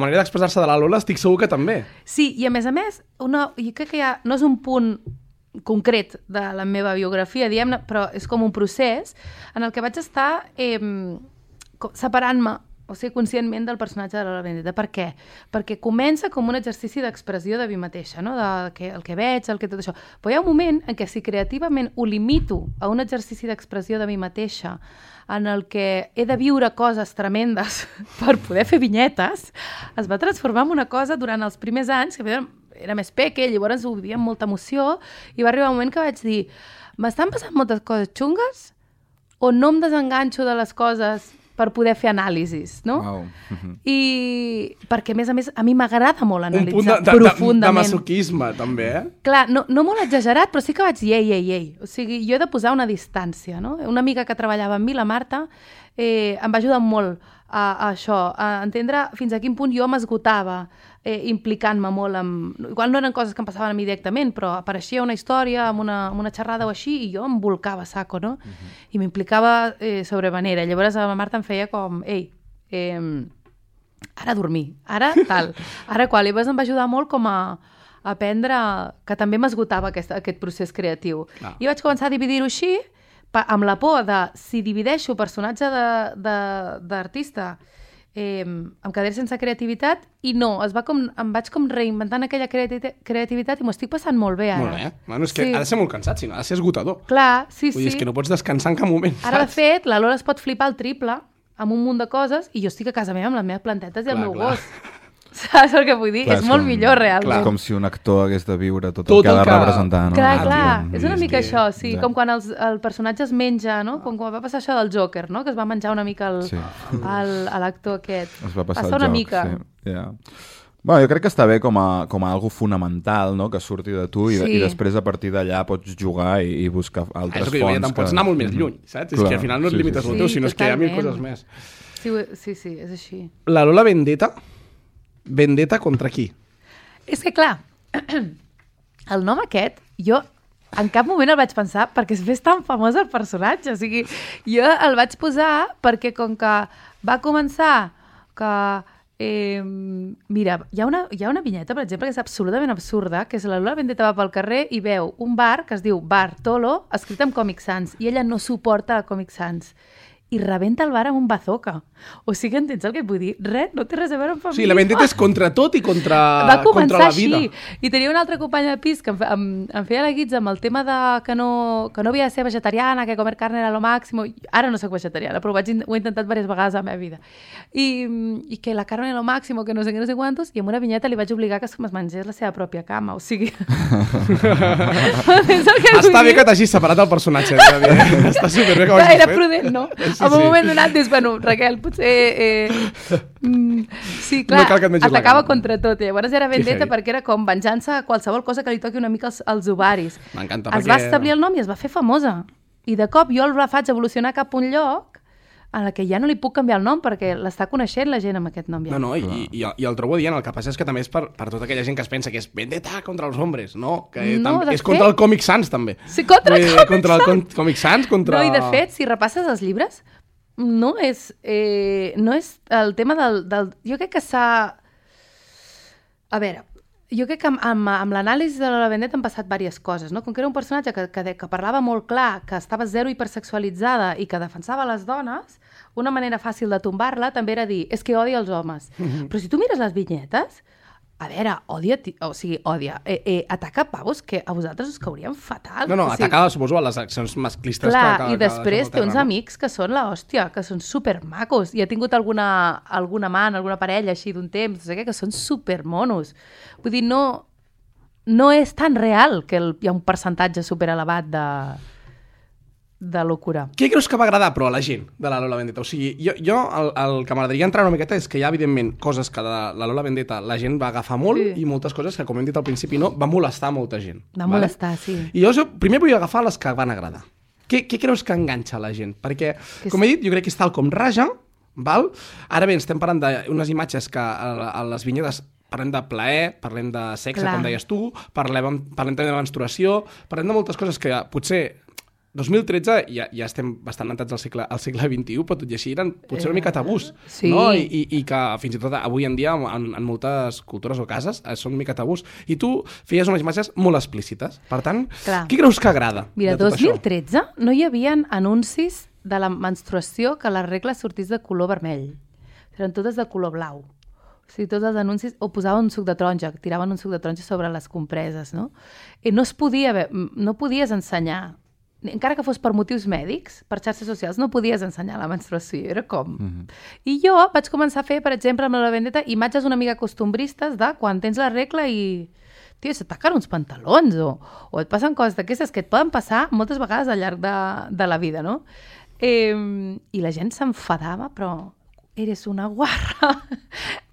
manera d'expressar-se de la Lola estic segur que també. Sí, i a més, jo crec que no és un punt concret de la meva biografia, diguem-ne, però és com un procés en el que vaig estar separant-me, o sigui, conscientment del personatge de Lola Vendetta. Per què? Perquè comença com un exercici d'expressió de mi mateixa, no? El que veig, tot això. Però hi ha un moment en què si creativament ho limito a un exercici d'expressió de mi mateixa en el que he de viure coses tremendes per poder fer vinyetes, es va transformar en una cosa durant els primers anys, que era més peque, llavors ho vivia amb molta emoció, i va arribar un moment que vaig dir, m'estan passant moltes coses xungues o no em desenganxo de les coses per poder fer anàlisis, no? Wow. I perquè, a més, a mi m'agrada molt analitzar profundament. Un punt de masoquisme, també, Clar, no molt exagerat, però sí que vaig dir, ei. O sigui, jo he de posar una distància, no? Una amiga que treballava amb mi, la Marta, em va ajudar molt a això, a entendre fins a quin punt jo m'esgotava implicant-me molt amb... Igual no eren coses que em passaven a mi directament, però apareixia una història amb una xerrada o així i jo em volcava a saco, no? I m'implicava sobremanera. Llavors la Marta em feia com, ara dormir, ara tal, ara qual. I llavors em va ajudar molt com a aprendre que també m'esgotava aquest procés creatiu. I vaig començar a dividir-ho així, amb la por de, si divideixo personatge d'artista, em quedaré sense creativitat, i no, em vaig com reinventant aquella creativitat i m'ho estic passant molt bé ara. Molt bé. Bueno, és que ha de ser molt cansat, si no, ha de ser esgotador. Clar, sí. Vull dir, és que no pots descansar en cap moment, Ara, de saps? fet, la Lola es pot flipar el triple amb un munt de coses i jo estic a casa meva amb les meves plantetes i el meu gos. Saps el que vull dir? Clar, És molt millor, realment. És com si un actor hagués de viure tot Tot el que ha de el que- representar, no? Clar, tio, és una és mica que- això, sí, Ja. com quan el personatge es menja, no? Com quan va passar això del Joker, no? Que es va menjar una mica Sí. l'actor aquest. Es va passar una el joc, mica. sí. Yeah. Bueno, jo crec que està bé com a algo fonamental, no?, que surti de tu Sí. i després a partir d'allà pots jugar i buscar altres És el que diu, fonts. te'n pots anar molt més lluny, saps? És Clar, que al final no et sí, limites sí, al sí. teu, Sí, sinó és que hi ha mil totalment. coses més. Sí, és així. La Lola Vendetta? Vendetta contra qui? És que, clar, el nom aquest, jo en cap moment el vaig pensar perquè es fes tan famós el personatge. O sigui, jo el vaig posar perquè com que va començar que... mira, hi ha una vinyeta, per exemple, que és absolutament absurda, que és la Lola Vendetta va pel carrer i veu un bar que es diu Bar Tolo, escrit amb Comic Sans, i ella no suporta el Comic Sans. I rebenta el bar amb un bazooka. O sigui, entens el que et vull dir? Res, no té res a veure amb O feminisme. sigui, la Vendetta és contra tot i contra Va començar contra la així. vida. I tenia una altra companya de pis que em feia la guitza amb el tema de que no havia de ser vegetariana, que comer carne era lo máximo. Ara no soc vegetariana, però ho he intentat diverses vegades a la meva vida. I que la carne era lo máximo, que no sé què, no sé quantos, i amb una vinyeta li vaig obligar que es mengés la seva pròpia cama. O sigui... Està bé que t'hagis separat el personatge. Està superbé que ho hagis Era fet. prudent, no? Sí, En un sí. moment donat dius, bueno, Raquel, potser... sí, clar, No cal que et mengis la atacava cama. contra tot. I llavors era vendetta heavy. perquè era com venjança a qualsevol cosa que li toqui una mica als ovaris. M'encanta, Es perquè- va establir el nom i es va fer famosa. I de cop jo la faig evolucionar cap a un lloc en la que ja no li puc canviar el nom perquè l'està coneixent la gent amb aquest nom ja. No, i el trobo dient, el que passa és que també és per tota aquella gent que es pensa que és Vendetta contra els homes, no, que No, de és contra fet- el Comic Sans, també. Sí, contra el Vull dir, Comic contra el Sans. Comic Sans, contra... No, i de fet, si repasses els llibres, no és el tema del... Jo crec que s'ha... A veure, jo crec que amb l'anàlisi de la Vendetta han passat diverses coses, no? Com que era un personatge que parlava molt clar, que estava zero hipersexualitzada i que defensava les dones, una manera fàcil de tombar-la també era dir, és que odia els homes. Però si tu mires les vinyetes, a veure, odia, ataca pavos que a vosaltres us caurien fatal. No, O sigui, atacava, suposo, a les accions masclistes clar, que i després deixen té al uns terra, no? amics que són l'hòstia, que són supermacos. I ha tingut alguna amant, alguna parella així d'un temps, no sé què, que són supermonos. Vull dir, no és tan real que hi ha un percentatge superelevat de locura. Què creus que va agradar, però, a la gent de la Lola Vendetta? O sigui, jo el que m'agradaria entrar una miqueta és que hi ha, evidentment, coses que de la Lola Vendetta la gent va agafar molt Sí. i moltes coses que, com hem dit al principi, no, va molestar molta gent. Va molestar, sí. I jo primer vull agafar les que van agradar. Què creus que enganxa la gent? Perquè, com he dit, jo crec que és tal com raja, val? Ara bé, estem parlant d'unes imatges que a les vinyetes parlem de plaer, parlem de sexe, Clar. com deies tu, parlem també de menstruació, parlem de moltes coses que potser 2013 ja estem bastant entrats al segle XXI, però tot i així eren potser una mica tabús, Sí. no? I que fins i tot avui en dia en moltes cultures o cases són una mica tabús. I tu feies unes imatges molt explícites. Per tant, Clar. què creus que agrada Mira, de tot 2013 no hi havia anuncis de la menstruació que la regla sortís de color vermell. Eren totes de color blau. O sigui, tots els anuncis o posaven un suc de taronja, tiraven un suc de taronja sobre les compreses, no? I no podies ensenyar, encara que fos per motius mèdics, per xarxes socials, no podies ensenyar la menstruació, era com... I jo vaig començar a fer, per exemple, amb la Vendetta, imatges una mica costumbristes de quan tens la regla i... Tio, se t'acaben uns pantalons o et passen coses d'aquestes que et poden passar moltes vegades al llarg de la vida, no? I la gent s'enfadava, però eres una guarra,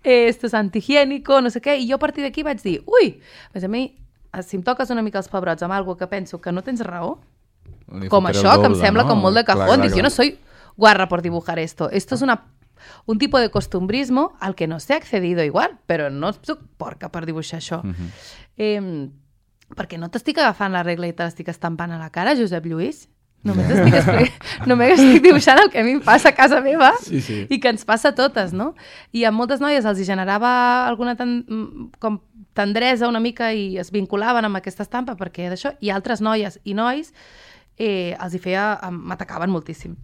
esto es antihigiénico, no sé què, i jo a partir d'aquí vaig dir, ui, a mi, si em toques una mica els pebrots amb alguna que penso que no tens raó, com això, que em sembla com molt de cajón, dic, yo no soy guarra por dibujar esto es un tipo de costumbrismo al que no sé accedido igual, però no soc porca per dibuixar això. Perquè no t'estic agafant la regla i te l'estic estampant a la cara, Josep Lluís? Només estic dibuixant el que a mi em passa a casa meva i que ens passa a totes, no? I a moltes noies els generava alguna com tendresa una mica i es vinculaven amb aquesta estampa perquè d'això, i altres noies i nois els hi m'atacaven moltíssim.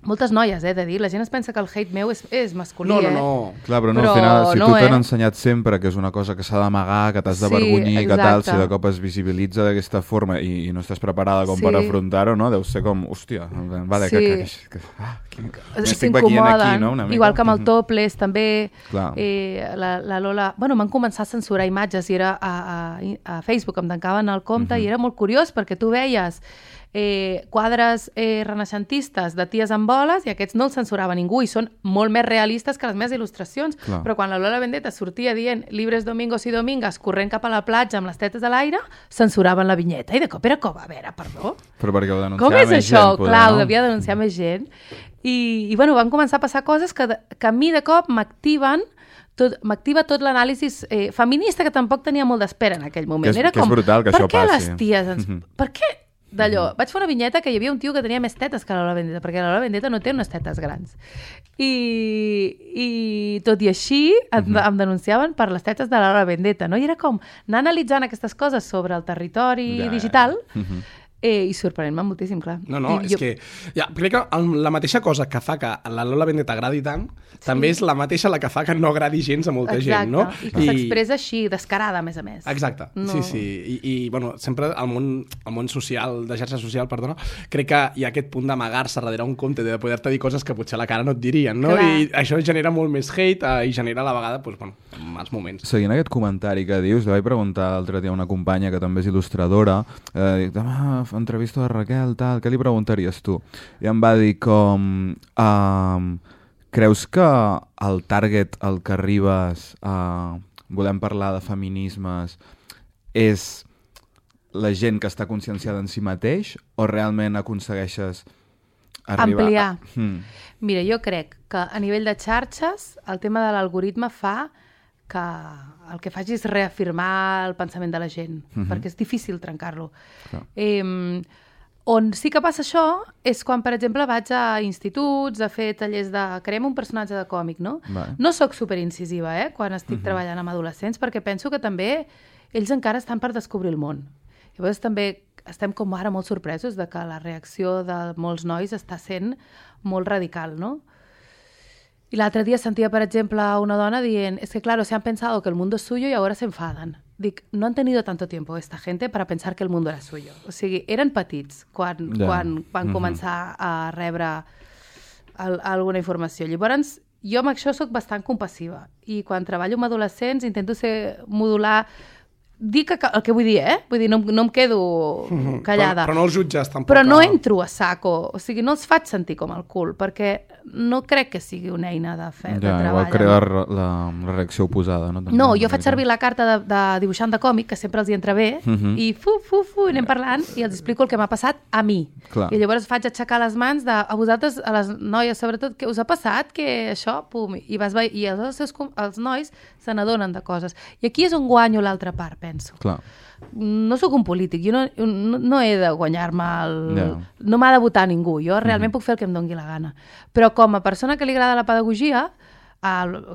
Moltes noies, de dir. La gent es pensa que el hate meu és masculí, No. Clar, però no, Però al final, si no, tu t'han ensenyat sempre que és una cosa que s'ha d'amagar, que t'has d'avergonyir, que tal, exacte. si de cop es visibilitza d'aquesta forma i no estàs preparada com Sí. per afrontar-ho, no? Deu ser com, hòstia, vale, Sí. m'estic veient aquí, no? Una mica. Igual que amb el topless, també. Clar. La Lola... Bueno, m'han començat a censurar imatges i era a Facebook, em tancaven el compte i era molt curiós perquè tu veies quadres renaixentistes de ties amb boles i aquests no els censurava ningú i són molt més realistes que les meves il·lustracions. Clar. Però quan la Lola Vendetta sortia dient libres domingos i domingues corrent cap a la platja amb les tetes a l'aire, censuraven la vinyeta. I de cop era com, a veure, perdó? Però perquè ho denunciava Com és més això? gent, poder, Clar, ho no? devia denunciar més gent. I bueno, van començar a passar coses que a mi de cop m'activa tot l'anàlisi feminista que tampoc tenia molt d'espera en aquell moment. Que és- Era que és com, brutal que per això què passi. les ties ens... Per què? D'allò, vaig fer una vinyeta que hi havia un tio que tenia més tetes que la Lola Vendetta, perquè la Lola Vendetta no té unes tetes grans. I tot i així em denunciaven per les tetes de la Lola Vendetta, no? I era com anar analitzant aquestes coses sobre el territori digital i sorprenent-me moltíssim, clar. No, és que crec que la mateixa cosa que fa que la Lola Vendetta agradi tant, també és la mateixa la que fa que no agradi gens a molta gent, no? I que s'expressa així, descarada, a més a més. Exacte, No. sí. I bueno, sempre al món social, de xarxa social, perdona, crec que hi ha aquest punt d'amagar-se darrere un compte, de poder-te dir coses que potser a la cara no et dirien, no? Clar. I això genera molt més hate i genera a la vegada, doncs, bueno, mals moments. Seguint aquest comentari que dius, li vaig preguntar l'altre dia a una companya que també és il·lustradora, demà entrevisto a Raquel, tal, què li preguntaries tu? I em va dir com... creus que el target al que arribes volem parlar de feminismes és la gent que està conscienciada en si mateix o realment aconsegueixes arribar... Ampliar. Mira, jo crec que a nivell de xarxes el tema de l'algoritme fa que el que faci és reafirmar el pensament de la gent, perquè és difícil trencar-lo. On sí que passa això és quan, per exemple, vaig a instituts a fer tallers de... Creem un personatge de còmic, no? Vale. No sóc superincisiva, quan estic treballant amb adolescents, perquè penso que també ells encara estan per descobrir el món. Llavors també estem com ara molt sorpresos de que la reacció de molts nois està sent molt radical, no? Y l'altre dia sentia, per exemple, una dona dient es que, claro, se han pensado que el mundo es suyo y ahora se enfadan. Dic, no han tenido tanto tiempo esta gente para pensar que el mundo era suyo. O sigui, eren petits quan van començar a rebre alguna informació. Llavors, jo amb això sóc bastant compassiva i quan treballo amb adolescents intento modular dic el que vull dir, Vull dir, no em quedo callada. Però no els jutges, tampoc. Però no entro a saco, o sigui, no els faig sentir com el cul, perquè no crec que sigui una eina de treball. Igual crea la reacció oposada, no? També, No, jo faig servir la carta de dibuixant de còmic, que sempre els hi entra bé, i anem parlant i els explico el que m'ha passat a mi. Clar. I llavors faig aixecar les mans a vosaltres, a les noies, sobretot, què us ha passat, que això, pum, i els nois se n'adonen de coses. I aquí és on guanyo l'altra part, penso. Clar. No sóc un polític, jo no he de guanyar-me Yeah. No m'ha de votar ningú, jo realment puc fer el que em doni la gana. Però com a persona que li agrada la pedagogia,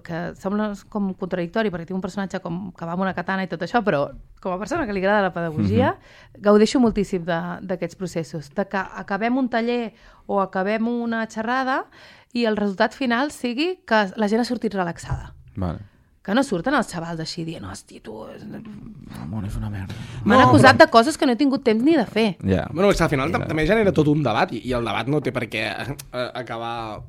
que sembla com contradictori perquè tinc un personatge que va amb una katana i tot això, però com a persona que li agrada la pedagogia, gaudeixo moltíssim d'aquests processos, de que acabem un taller o acabem una xerrada i el resultat final sigui que la gent ha sortit relaxada. Vale. Que no surten els xavals així dient, hòstia, tu... El món és una merda. M'han acusat de coses que no he tingut temps ni de fer. Ja. Bueno, és que al final també genera tot un debat i el debat no té per què acabar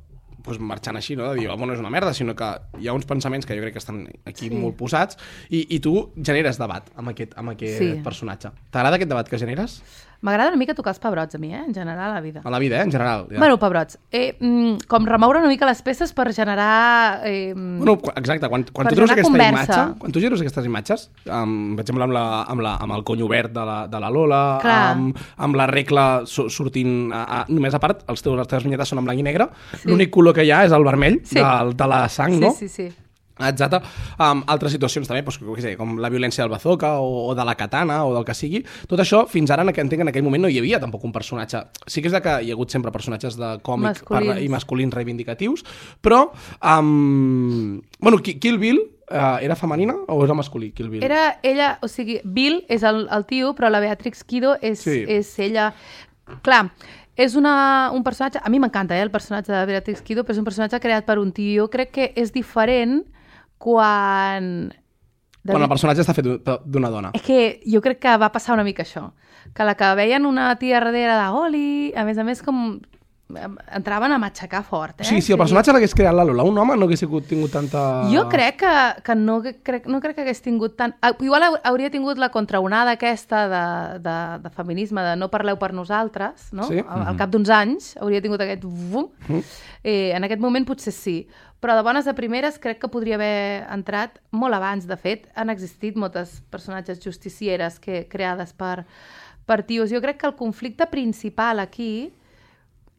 marxant així, no? De dir, no és una merda, sinó que hi ha uns pensaments que jo crec que estan aquí molt posats i tu generes debat amb aquest personatge. T'agrada aquest debat que generes? M'agrada una mica tocar els pebrots a mi, en general, a la vida. A la vida, en general. Ja. Bueno, pebrots. Com remoure una mica les peces per generar... Bueno, exacte, quan tu treus aquesta imatge, quan tu treus aquestes imatges, per exemple, amb el cony obert de la Lola, amb la regla sortint... només a part, les teves vinyetes són en blanc i negre, l'únic color que hi ha és el vermell de la sang, no? Sí. Exacte. Altres situacions també, com la violència del bazooka o de la katana o del que sigui. Tot això, fins ara, entenc que en aquell moment no hi havia tampoc un personatge. Sí que és que hi ha hagut sempre personatges de còmic i masculins reivindicatius, però... Bueno, Kill Bill era femenina o era masculí, Kill Bill? Era ella, o sigui, Bill és el tio, però la Beatrix Kido és ella... Clar, és un personatge... A mi m'encanta, el personatge de Beatrix Kiddo, però és un personatge creat per un tio. Jo crec que és diferent quan el personatge està fet d'una dona. És que jo crec que va passar una mica això. Que la que veien una tia darrere de Oli, a més, com... entraven a matxacar fort, Sí, si el personatge l'hagués creat la Lola, un home no hagués tingut tanta... Jo crec que no crec que hagués tingut tant... Igual hauria tingut la contraonada aquesta de feminisme, de no parleu per nosaltres, no? Sí. Al cap d'uns anys hauria tingut aquest... En aquest moment potser sí, però de bones a primeres crec que podria haver entrat molt abans. De fet, han existit moltes personatges justicieres creades per tios. Jo crec que el conflicte principal aquí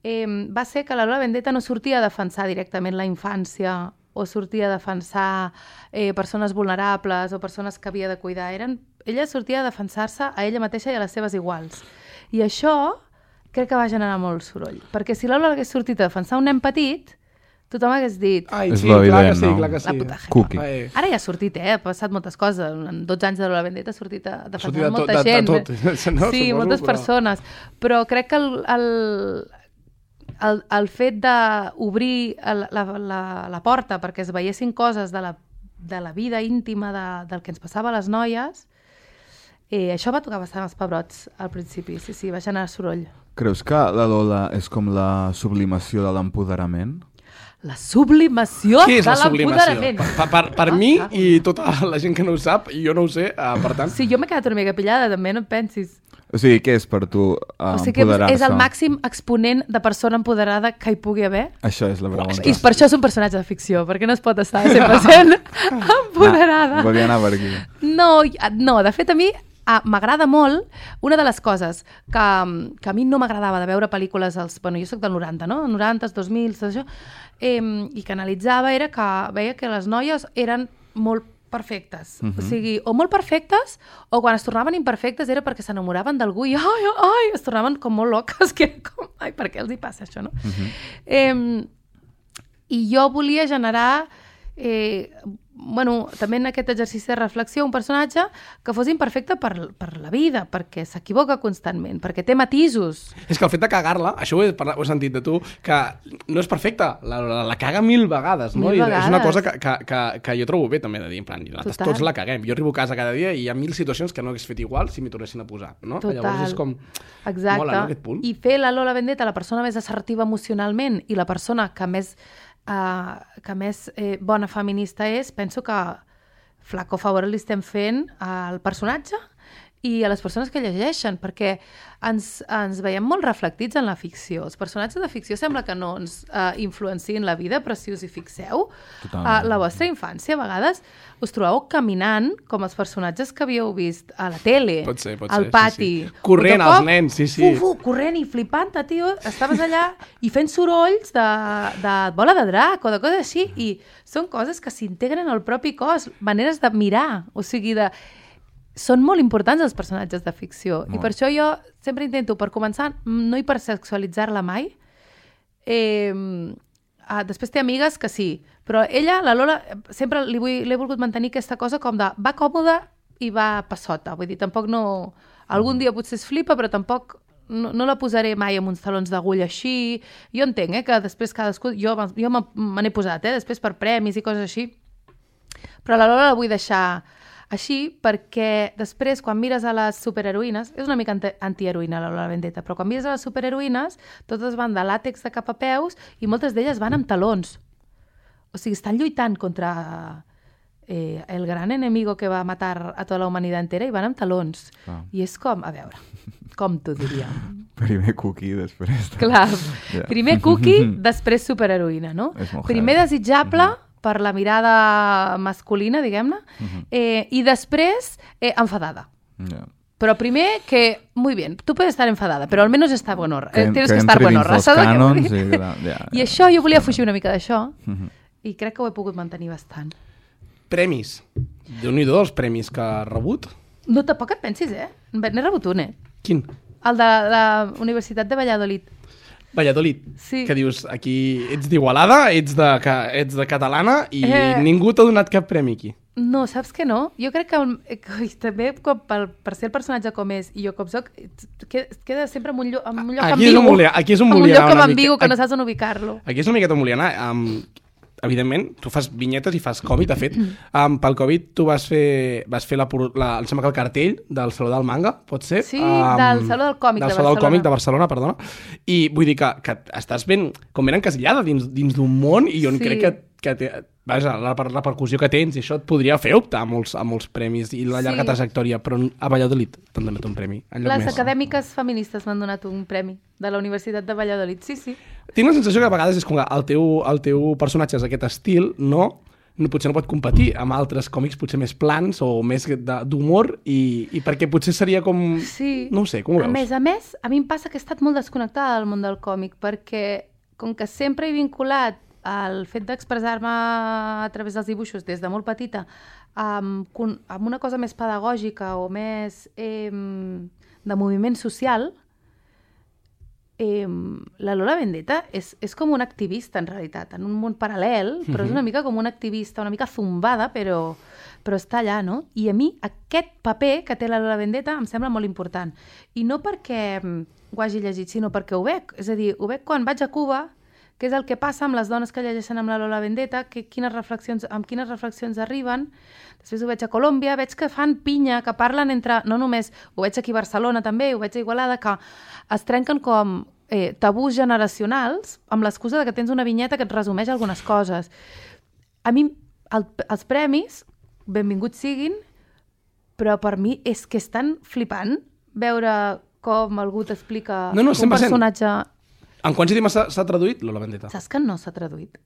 va ser que la Lola Vendetta no sortia a defensar directament la infància o sortia a defensar persones vulnerables o persones que havia de cuidar. Ella sortia a defensar-se a ella mateixa i a les seves iguals. I això crec que va generar molt soroll. Perquè si la Lola hagués sortit a defensar un nen petit, tothom hagués dit... Ai, és sí, lo clar evident, que sí, no? clar que sí. La puta jeva. Cookie. Ara ja ha sortit, ha passat moltes coses. En 12 anys de Lola Vendetta ha sortit a defensar de molta gent. De tot. No, sí, suposo, moltes persones. Però crec que el fet d'obrir la porta perquè es veiessin coses de la vida íntima del que ens passava a les noies, això va tocar bastant els pebrots al principi, sí, va generar soroll. Creus que la Lola és com la sublimació de l'empoderament? La sublimació Què és de la sublimació? l'empoderament. Per mi i tota la gent que no ho sap, i jo no ho sé, per tant... Sí, jo m'he quedat una mica pillada, també, no et pensis. O sigui, què és per tu O sigui que empoderar-se? és el màxim exponent de persona empoderada que hi pugui haver. Això és la pregunta. I per això és un personatge de ficció, perquè no es pot estar 100% empoderada. Volia anar per aquí. No, de fet a mi m'agrada molt una de les coses que a mi no m'agradava de veure pel·lícules jo soc del 90, no? 90, 2000, tot això, i que analitzava era que veia que les noies eren molt perfectes. O sigui, o molt perfectes, o quan es tornaven imperfectes era perquè s'enamoraven d'algú i es tornaven com molt loques, que era com, per què els hi passa això, no? I jo volia generar també en aquest exercici de reflexió un personatge que fos imperfecte per la vida, perquè s'equivoca constantment, perquè té matisos. És que el fet de cagar-la, això ho he sentit de tu, que no és perfecta, la caga 1000 vegades, no? Mil vegades. És una cosa que jo trobo bé també de dir, en plan, nosaltres tots la caguem. Jo arribo a casa cada dia i hi ha 1000 situacions que no hagués fet igual si m'hi tornessin a posar, no? Total. Llavors és com... Exacte. Mola, no, aquest punt? I fer la Lola Vendetta la persona més assertiva emocionalment i la persona que més bona feminista és, penso que flaco favor li estem fent al personatge i a les persones que llegeixen, perquè ens veiem molt reflectits en la ficció. Els personatges de ficció sembla que no ens influenciïn la vida, però si us hi fixeu, la vostra infància a vegades us trobeu caminant com els personatges que havíeu vist a la tele, Pot ser, al pati. sí. Corrent els nens, sí. Corrent i flipant, tio. Estaves allà i fent sorolls de bola de drac o de coses així, i són coses que s'integren al propi cos, maneres de mirar, o sigui, són molt importants els personatges de ficció. I per això jo sempre intento, per començar, no hipersexualitzar-la mai. Després té amigues que sí, però ella, la Lola, sempre l'he volgut mantenir aquesta cosa com de va còmoda i va passota. Vull dir, tampoc no... Algun dia potser es flipa, però tampoc no la posaré mai amb uns talons d'agulla així. Jo entenc, que després cadascú... Jo me n'he posat, després per premis i coses així. Però la Lola la vull deixar així perquè després, quan mires a les superheroïnes, és una mica antiheroïna la Lola Vendetta, però quan mires a les superheroïnes, totes van de làtex de cap a peus i moltes d'elles van amb talons. O sigui, estan lluitant contra el gran enemigo que va matar a tota la humanitat entera i van amb talons. I és com, a veure, com t'ho diríem? Primer cookie, després... Clar, primer cookie, després superheroïna, no? Primer desitjable per la mirada masculina, diguem-ne, i després enfadada. Però primer que, muy bien, tú puedes estar enfadada, però almenys estar buenorra. Tienes que estar buenorra. I això, jo volia fugir una mica d'això, i crec que ho he pogut mantenir bastant. Premis. Déu-n'hi-do els premis que ha rebut. No, tampoc et pensis, N'he rebut un, Quin? El de la Universitat de Valladolid. Valladolid, sí. Que dius, aquí ets d'Igualada, ets de catalana i ningú t'ha donat cap premi aquí. No, saps que no? Jo crec que també per ser el personatge com és i jo com soc, queda sempre en un lloc ambigu. Aquí és on volia anar amb ambigu que no saps on ubicar-lo. Aquí és una miqueta on volia anar. Evidentment, tu fas vinyetes i fas còmic. De fet, pel Covid tu vas fer em sembla que el cartell del Saló del Manga, pot ser? Sí, del Saló del Còmic de Barcelona. Del Saló del Còmic de Barcelona, perdona. I vull dir que estàs ben encasillada dins d'un món i on crec que té, vaja, la repercussió que tens i això et podria fer optar a molts premis i la llarga trajectòria, però a Valladolid t'han donat un premi. Les acadèmiques feministes m'han donat un premi de la Universitat de Valladolid, sí. Tinc la sensació que a vegades és com que el teu personatge és aquest estil, potser no pot competir amb altres còmics potser més plans o més d'humor i perquè potser seria com... Sí. No ho sé, com ho veus? A més, a mi em passa que he estat molt desconnectada del món del còmic perquè com que sempre he vinculat el fet d'expressar-me a través dels dibuixos des de molt petita amb una cosa més pedagògica o més de moviment social, la Lola Vendetta és com una activista en realitat, en un món paral·lel, però és una mica com una activista, una mica zumbada, però està allà, no? I a mi aquest paper que té la Lola Vendetta em sembla molt important. I no perquè ho hagi llegit, sinó perquè ho veig. És a dir, ho veig quan vaig a Cuba, què és el que passa amb les dones que llegeixen amb la Lola Vendetta, amb quines reflexions arriben. Després ho veig a Colòmbia, veig que fan pinya, que parlen entre... No només, ho veig aquí a Barcelona també, ho veig a Igualada, que es trenquen com tabús generacionals amb l'excusa que tens una vinyeta que et resumeix algunes coses. A mi, els premis, benvinguts siguin, però per mi és que és tan flipant veure com algú t'explica un personatge... En quants idiomes s'ha traduït Lola Vendetta? Saps que no s'ha traduït?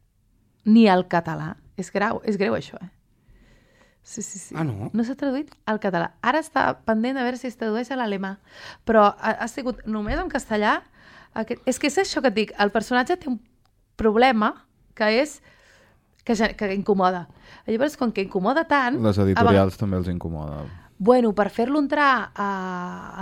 Ni al català. És greu això, Sí. Ah, no? No s'ha traduït al català. Ara està pendent de veure si es tradueix a l'alemà. Però ha sigut només en castellà. És que és això que et dic. El personatge té un problema que és que incomoda. Llavors, com que incomoda tant... Les editorials també els incomoda. Bueno, per fer-lo entrar a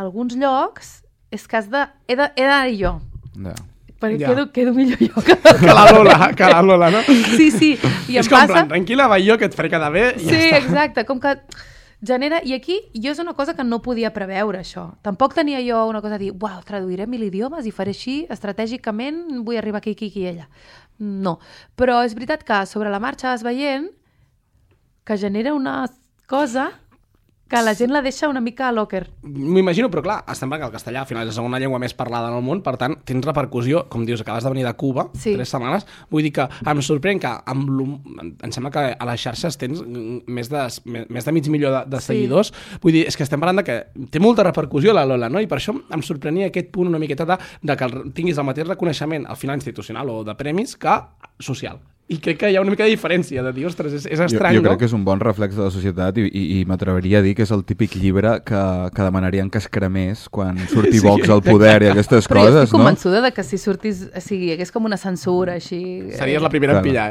alguns llocs és que he d'anar-hi jo. Ja. Perquè quedo millor jo que la Lola, no? Sí. I és com plan, tranquil·la, va jo, que et faré quedar bé i ja està. Sí, exacte, com que genera... I aquí jo és una cosa que no podia preveure, això. Tampoc tenia jo una cosa de dir, uau, traduiré 1000 idiomes i faré així, estratègicament vull arribar aquí i allà. No. Però és veritat que sobre la marxa vas veient que genera una cosa... que la gent la deixa una mica a locker. M'imagino, però clar, estem parlant que el castellà al final és la segona llengua més parlada en el món, per tant, tens repercussió, com dius, acabes de venir de Cuba, 3 setmanes, vull dir que em sorprèn que em sembla que a les xarxes tens més de 500.000 de seguidors, vull dir, és que estem parlant de que té molta repercussió la Lola, no? I per això em sorprenia aquest punt una miqueta de que tinguis el mateix reconeixement al final institucional o de premis que social. I crec que hi ha una mica de diferència, de dir, ostres, és estrany, jo crec que és un bon reflex de la societat i m'atreveria a dir que és el típic llibre que demanarien que es cremés quan surti Vox al poder i aquestes però coses, no? Però jo estic convençuda de que si sortis, hi hagués com una censura així... Series la primera en pillar,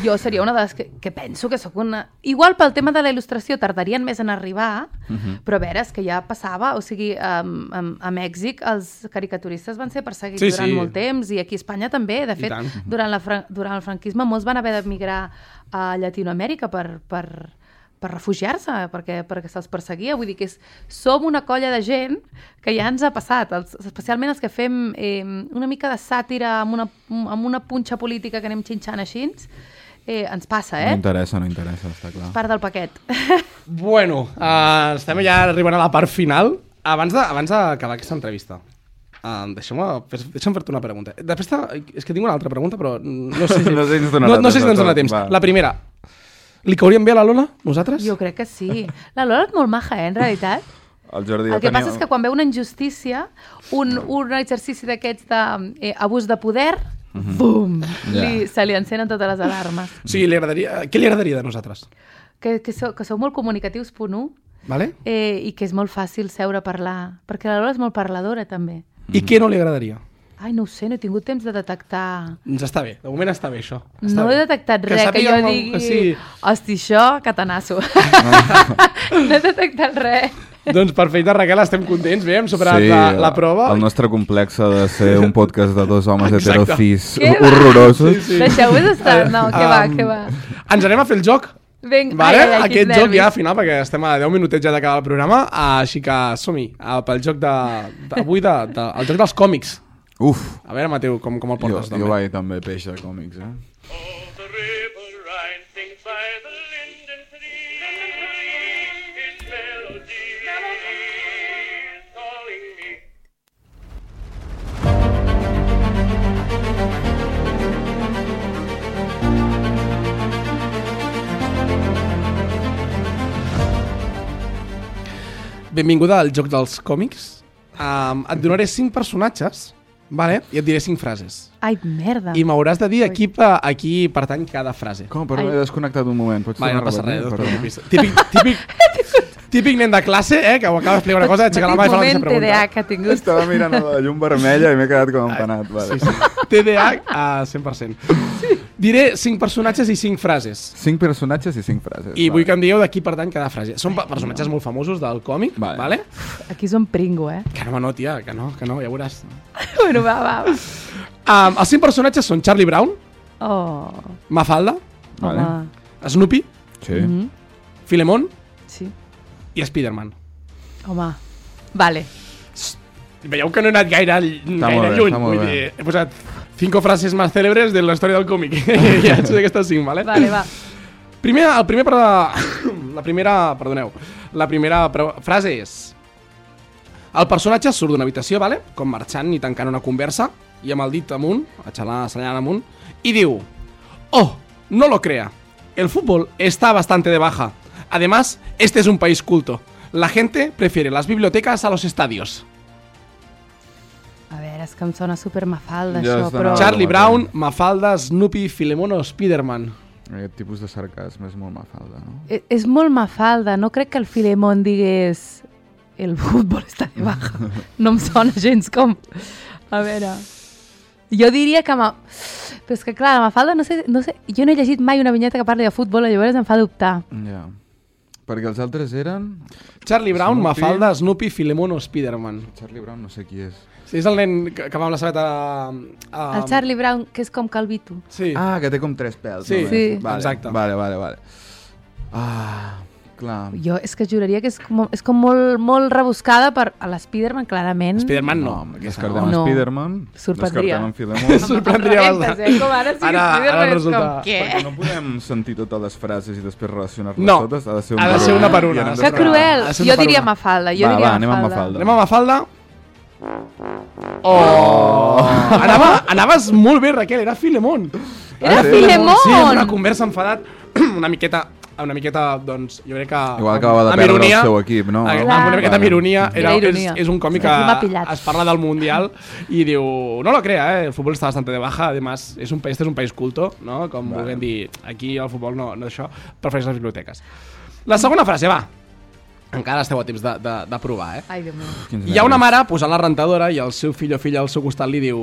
Jo seria una de les que penso que sóc una... Igual pel tema de la il·lustració tardarien més en arribar, però a veure, és que ja passava, o sigui, a Mèxic els caricaturistes van ser perseguits durant molt temps i aquí a Espanya també, de fet, durant el franquisme molts van haver d'emigrar a Llatinoamèrica per refugiar-se, perquè se'ls perseguia. Vull dir que som una colla de gent que ja ens ha passat, especialment els que fem una mica de sàtira amb una punxa política que anem xinxant així, ens passa, No interessa, està clar. Part del paquet. Bueno, estem ja arribant a la part final. Abans d'acabar aquesta entrevista, deixa'm fer-te una pregunta. Després és que tinc una altra pregunta, però no sé si ens dona temps. La primera, li cauríem bé a la Lola, nosaltres? Jo crec que sí. La Lola és molt maja, en realitat. El que passa és que quan veu una injustícia, un exercici d'aquests d'abús de poder, bum, se li encenen totes les alarmes. Sí, què li agradaria de nosaltres? Que sou molt comunicatius, punt 1, vale? I que és molt fàcil seure a parlar, perquè la Lola és molt parladora, també. I què no li agradaria? Ai, no ho sé, no he tingut temps de detectar... Doncs està bé, de moment està bé això. No he detectat res que jo digui... Hosti, això, catanasso. No he detectat res. Doncs perfecte, Raquel, estem contents, bé, hem superat la prova. El nostre complex ha de ser un podcast de 2 homes heterocis horrorosos. Deixeu-vos estar, no, què va. Ens anem a fer el joc. Vinga, Vale? quins Aquest joc nervis. ja al final, perquè estem a 10 minutets ja d'acabar el programa, així que som-hi, pel joc d'avui, el joc dels còmics. Uf, A veure, Mateu, com el portes? jo vaig també peix de còmics, All the river rising by the linden tree, its melody is calling me. Benvinguda al joc dels còmics. Et donaré 5 personatges, vale? I et diré 5 frases. Ai, merda. I m'hauràs de dir a qui pertany cada frase. Com? Però m'he desconnectat un moment. Pots Vale, no tornar a passa res, no repetir? et preocupis. Típic nen de classe, que ho acaba d'explicar una cosa, aixeca la mà i fa la mateixa Petit moment pregunta. TDA que ha tingut. Estava mirant a la llum vermella i m'he quedat com empanat. Vale. Sí, sí. TDA a 100%. Diré 5 personatges i 5 frases. 5 personatges i 5 frases. I vull que em digueu de qui pertany cada frase. Són personatges molt famosos del còmic, Vale. vale? Aquí som pringo, Que no, tia, que no, ja veuràs. Bueno, va. Els 5 personatges són Charlie Brown, Oh, Mafalda, Vale. home. Snoopy, Sí. Filemón Sí, i Spider-Man. home. Vale. Veieu que no he anat gaire molt bé, lluny. està molt Vull bé. dir, he posat 5 frases més cèlebres de la història del còmic. Ja ets d'aquestes 5, vale? Vale, va. La primera frase és: el personatge surt d'una habitació, vale? Com marxant i tancant una conversa, i amb el dit amunt, assenyalant amunt, i diu: oh, no lo crea, el fútbol está bastante de baja. Además, este es un país culto. La gente prefiere las bibliotecas a los estadios. A veure, és que em sona super mafalda, Ja això, està però... anant. Charlie Brown, Mafalda, Snoopy, Filemón o Spider-Man. Aquest tipus de sarcasme és molt mafalda, no? És molt mafalda, no crec que el Filemón digués el futbol està de baja. No em sona gens com... A veure... Jo diria que... Però és que clar, la Mafalda, no sé, jo no he llegit mai una vinyeta que parli de futbol, llavors em fa dubtar. Ja. Perquè els altres eren... Charlie Brown, Snoopy. Mafalda, Snoopy, Filemón o Spider-Man. Charlie Brown no sé qui és. Sí, és el nen que va amb la sabeta... El Charlie Brown, que és com calvito. Sí. Ah, que té com 3 pèls. Sí, només. sí. Vale, Exacte. Vale. Ah, clar. Jo és que juraria que és com molt rebuscada per a l'Spiderman, clarament. Spider-Man no. Descartem No. Spider-Man. Sorprendria. Descartem Filemón. Sorprendria bastant. Com ara sí que Ara Spiderman és resulta- com, què? Perquè no podem sentir totes les frases i després relacionar-les No. totes. Ha de ser una per una. I anem Que després- cruel. Ha de ser una Jo per diria una. Mafalda. Va, anem amb Mafalda. Anem a Mafalda. Oh! Anaves molt bé, Raquel, era Filemón. Era sí? Filemón! Sí, en una conversa enfadat, una miqueta, doncs, jo crec que... Igual acabava de amb perdre ironia, el seu equip, no? Amb Clar. una miqueta amb ironia. Era ironia. És un còmic Sí, aquí m'ha que pillat. es parla del Mundial i diu, no lo crea, el fútbol está bastante de baja, además, este es un país culto, no? Com volguem dir, aquí el futbol no això, prefereix les biblioteques. La segona frase, va. Encara esteu a temps de provar, Ai, Déu meu. Hi ha una mare posant la rentadora i el seu fill o filla al seu costat li diu: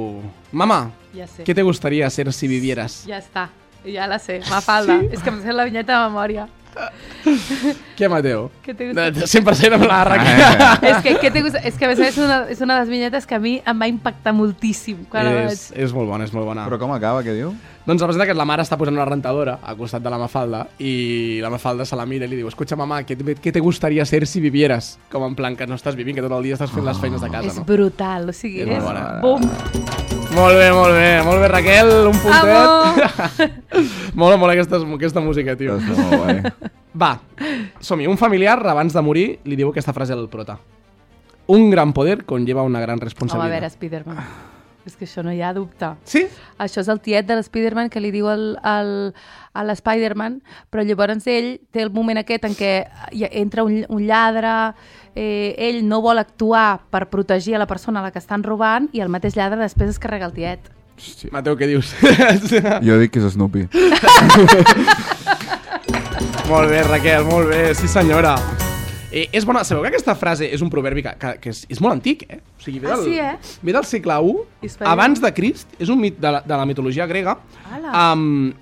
Mama, Ja sé. ¿qué te gustaría ser si vivieras? Ja està. Ja la sé. Mafalda. És que em sé la vinyeta de memòria. Què, Mateu? Què te gusta? 100% amb la Raquel. És que a més és una de les vinyetes que a mi em va impactar moltíssim quan la vaig... És molt bona, és molt bona. Però com acaba, què diu? Doncs representa que la mare està posant una rentadora al costat de la Mafalda i la Mafalda se la mira i li diu: escucha, mamá, ¿qué te gustaría ser si vivieras? Com en plan que no estàs vivint, que tot el dia estàs fent les feines de casa, És no? brutal, o sigui, És és... molt bona. Bum! Molt bé, Raquel, un puntet. Amo! Mola aquesta música, tio. Està molt guai. Va, som-hi. Un familiar, abans de morir, li diu aquesta frase al prota: un gran poder conlleva una gran Home, a responsabilitat. veure, Spiderman. És que això no hi ha dubte. Sí? Això és el tiet de l'Spiderman que li diu a l'Spiderman, però llavors ell té el moment aquest en què entra un lladre, ell no vol actuar per protegir a la persona a la que estan robant i el mateix lladre després es carrega el tiet. Hòstia. Mateu, què dius? Jo dic que és Snoopy. Molt bé, Raquel, molt bé, sí senyora. És bona. Sabeu que aquesta frase és un proverbi que és molt antic, eh? O sigui, Ah, sí, ve del segle I, Espera. abans de Crist, és un mit de la mitologia grega, Ala. amb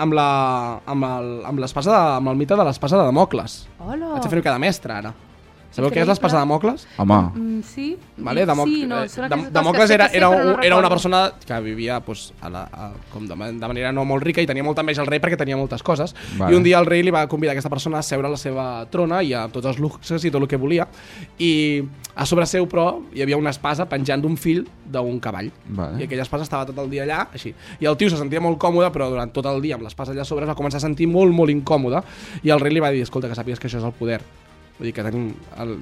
el mite de l'espasa de Damocles. Hola! Vaig a fer-ho cada mestre, ara. Sabeu què és l'espasa de Damocles? Home, Sí, Vale, sí, no, són aquestes Damocles que era, sé, era, però no era una recordo. persona que vivia pues, com de manera no molt rica i tenia molta enveja al rei perquè tenia moltes coses. Vale. I un dia el rei li va convidar aquesta persona a seure a la seva trona i a tots els luxes i tot el que volia. I a sobre seu, però, hi havia una espasa penjant d'un fil d'un cavall. Vale. I aquella espasa estava tot el dia allà, així. I el tio se sentia molt còmode, però durant tot el dia amb l'espasa allà a sobre es va començar a sentir molt, molt incòmode. I el rei li va dir, escolta, que sàpigues que això és el poder. Vull dir que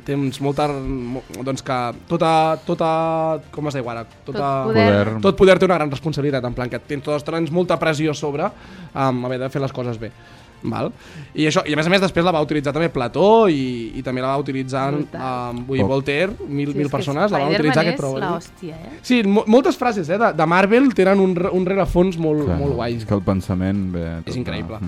tens molta... Doncs que tota com es diu ara? Tot poder té una gran responsabilitat, en plan que tens molta pressió sobre haver de fer les coses bé. Val? I això, i a més després la va utilitzar també Plató i també la va utilitzar Voltaire, mil persones la van utilitzar aquest prou. Sí, moltes frases de Marvel tenen un rerefons molt guai. És que el pensament... És increïble.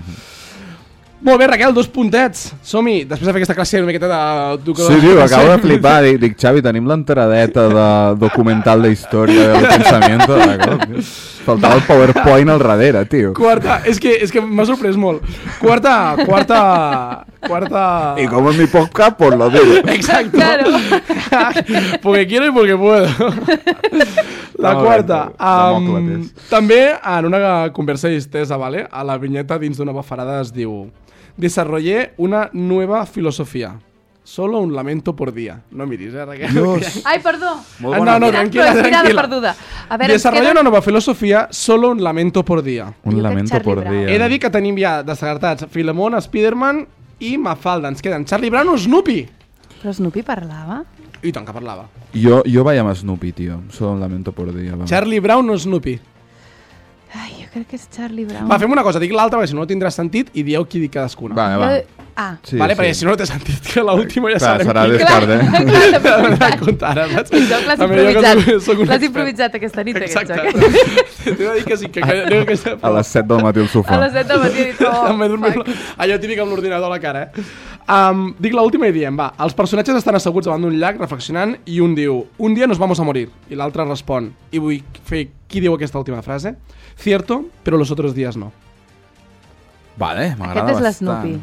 Molt bé, Raquel, 2 puntets. Som-hi, després de fer aquesta classe una miqueta de... Sí, tio, acabo de flipar. Dic, Xavi, tenim l'enteradeta de documental de història del pensament. Faltava el PowerPoint al darrere, tio. Quarta, és que m'ha sorprès molt. Quarta... Y como en mi podcast, pues lo digo. Exacto. Claro. Porque quiero y porque puedo. La quarta. També en una conversa distesa, ¿vale? A la vinyeta dins d'una bafarada es diu: desarrollé una nueva filosofía. Solo un lamento por día. No miris, Raquel. Ai, perdó. No, tranquila. Perduda. A veure, desarrollé una nova filosofia, solo un lamento por día. Un lamento por día. He de dir que tenim ja descartats Filemón, Spiderman i Mafalda. Ens queden Charlie Brown o Snoopy. Però Snoopy parlava? I tant que parlava. Jo vaig amb Snoopy, tio. Solo un lamento por día. Va. Charlie Brown o Snoopy? Ai, jo crec que és Charlie Brown. Va, fem una cosa, dic l'altra perquè si no no tindrà sentit i dieu qui dic cadascuna. Va. Sí, vale, perquè si no té sentit que l'última ja sabem serà qui. descart, Comptar, saps? L'has improvisat aquesta nit, aquest joc. T'he de dir que sí, a les 7 del matí al sofà. A les 7 del matí he dit, allò típic amb l'ordinador a la cara, dic l'última i diem, va, els personatges estan asseguts davant d'un llac reflexionant i un diu, un dia nos vamos a morir, i l'altre respon, i vull fer qui diu aquesta última frase? Cierto, pero los otros días no. Vale, m'agrada Aquest és bastant. l'Snoopy.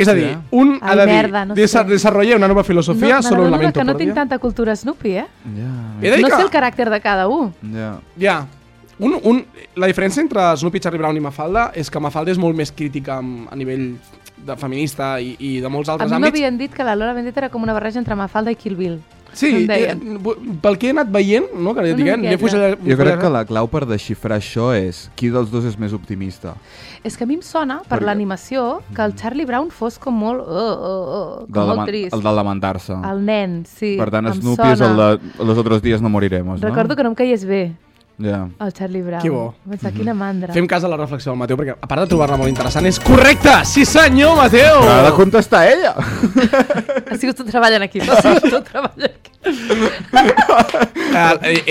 És a dir, un ha de dir, desarrollé una nova filosofia, solo un lamento que no por tinc día. tanta cultura Snoopy, eh? Ja. No sé el caràcter de cada un. Ja. La diferència entre Snoopy, Charlie Brown i Mafalda és que Mafalda és molt més crítica a nivell de feminista i de molts A altres mi àmbits. m'havien dit que la Lola Vendetta era com una barreja entre Mafalda i Kill Bill. Sí, pel que he anat veient, no, que jo crec que la clau per desxifrar això és qui dels dos és més optimista. És que a mi em sona, per l'animació, que el Charlie Brown fos com molt... com molt trist. El de lamentar-se. El nen, sí. Per tant, Snoopy és el de los otros días no moriremos, no? Recordo que no em caies bé. Ja. El Charlie Brown. Que bo. Pensar, quina mandra. Fem cas a la reflexió del Mateu, perquè a part de trobar-la molt interessant, és correcte! Sí senyor, Mateu! Però ha de contestar ella! Ha sigut tu treballant aquí. Ha sigut tu treballant aquí.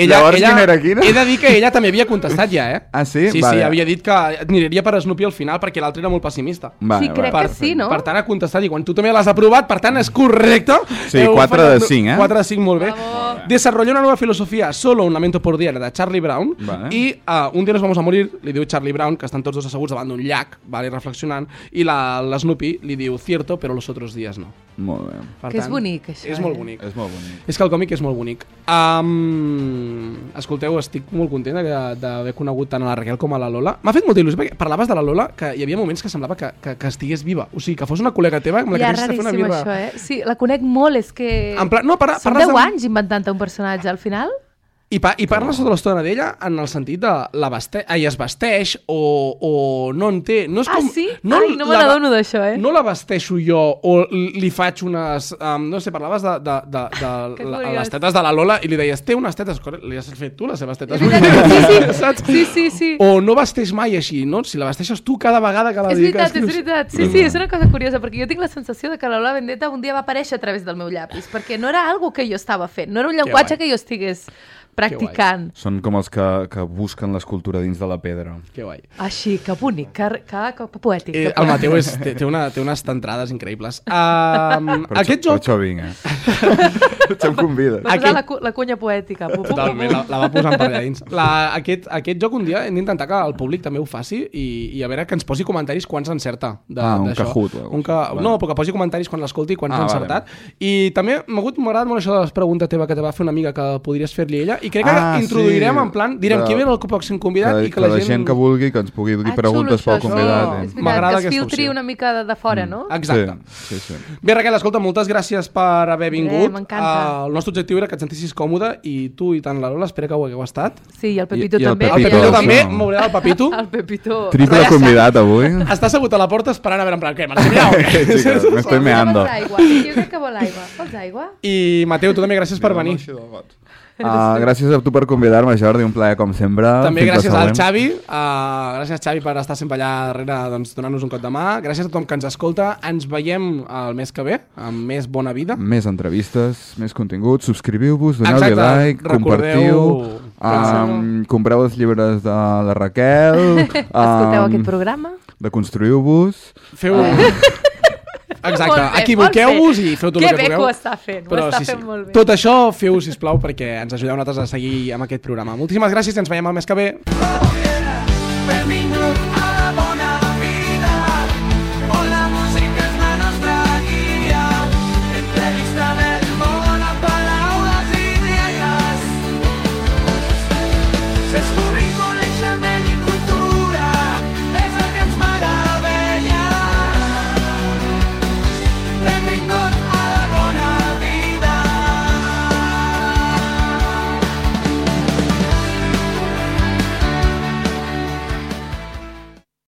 Llavors, quina era quina? He de dir que ella també havia contestat ja, eh? Ah, sí? Sí, vale. sí, havia dit que aniria per Snoopy al final perquè l'altre era molt pessimista. Vale, sí, crec que sí, no? Per tant, ha contestat i quan tu també l'has aprovat, per tant, és correcte. Sí, 4 de 5, eh? 4 de 5, molt bé. Desarrolló una nueva filosofía, solo un lamento por día, de Charlie Brown, vale. I un dia nos vamos a morir, li diu Charlie Brown, que estan tots dos asseguts davant d'un llac, vale, reflexionant, i l'Snoopy li diu cierto, però los otros días no. Molt bé. Per que tant, és bonic, això. És molt bonic. És molt bonic. És que el còmic és molt bonic. Escolteu, estic molt content d'haver conegut tant a la Raquel com a la Lola. M'ha fet molta il·lusió, perquè parlaves de la Lola, que hi havia moments que semblava que estigués viva. O sigui, que fos una col·lega teva amb la que haguessis de fer una raríssim birra. això, eh? Sí, la conec molt, és que... En plan, no, són 10 anys inventant-te un personatge, al final... I parles tota l'estona d'ella en el sentit de es vesteix o no en té. No és com, sí? Ai, no me n'adono d'això, eh? No la vesteixo jo o li faig unes... no sé, parlaves de les tetes de la Lola i li deies, té unes tetes, li has fet tu les seves tetes. Sí. O no vesteix mai així, no? Si la vesteixes tu cada vegada que la dediques. És veritat. Sí, és una cosa curiosa, perquè jo tinc la sensació de que la Lola Vendetta un dia va aparèixer a través del meu llapis, perquè no era algo que jo estava fent, no era un llenguatge que jo estigués practicant. Són com els que busquen l'escultura dins de la pedra. Que guai. Així, que bonic, que poètic. Que El Mateu té unes entrades increïbles. Aquest Per joc... això vinc, Potser em convides. Va posar la cunya poètica. Totalment, la va posant per allà dins. Aquest joc un dia hem d'intentar que el públic també ho faci i a veure que ens posi comentaris quan s'encerta. Un Kahoot. No, però que posi comentaris quan l'escolti i quan s'ha encertat. I també m'ha agradat molt això de la pregunta teva que te va fer una amiga que podries fer-li ella i crec que introduirem en plan, direm qui ve el pròxim convidat i que la gent que vulgui que ens pugui dir preguntes pel convidat. M'agrada que es filtri una mica de fora, no? Exacte. Sí. Bé, Raquel, escolta, moltes gràcies per haver vingut. M'encanta. El nostre objectiu era que et sentissis còmode i tu i tant la Lola, espero que ho hagueu estat. Sí, i el Pepito I el també. Pepito El Pepito també, m'oblidava el Pepito. El Pepito. Triple convidat avui. Està assegut a la porta esperant a veure en plan, què, marxem ja o què? Me estoy meando. Jo crec que vol aigua. Vols aigua? I Mateu, tu també gràcies per venir. Gràcies a tu per convidar-me, Jordi, un plaer com sempre. També gràcies al Xavi, gràcies Xavi per estar sempre allà darrere, doncs, donant-nos un cop de mà. Gràcies a tothom que ens escolta. Ens veiem el mes que ve amb més bona vida. Més entrevistes, més contingut. Subscriviu-vos, doneu-li like, compartiu, compreu els llibres de la Raquel. Escolteu aquest programa. Deconstruïu-vos. Feu... Exacte, equivoqueu-vos i feu tot el que pugueu. Que bé que ho està fent, ho està fent molt bé. Tot això feu-ho, sisplau, perquè ens ajudeu nosaltres a seguir amb aquest programa. Moltíssimes gràcies i ens veiem el mes que ve. Per minut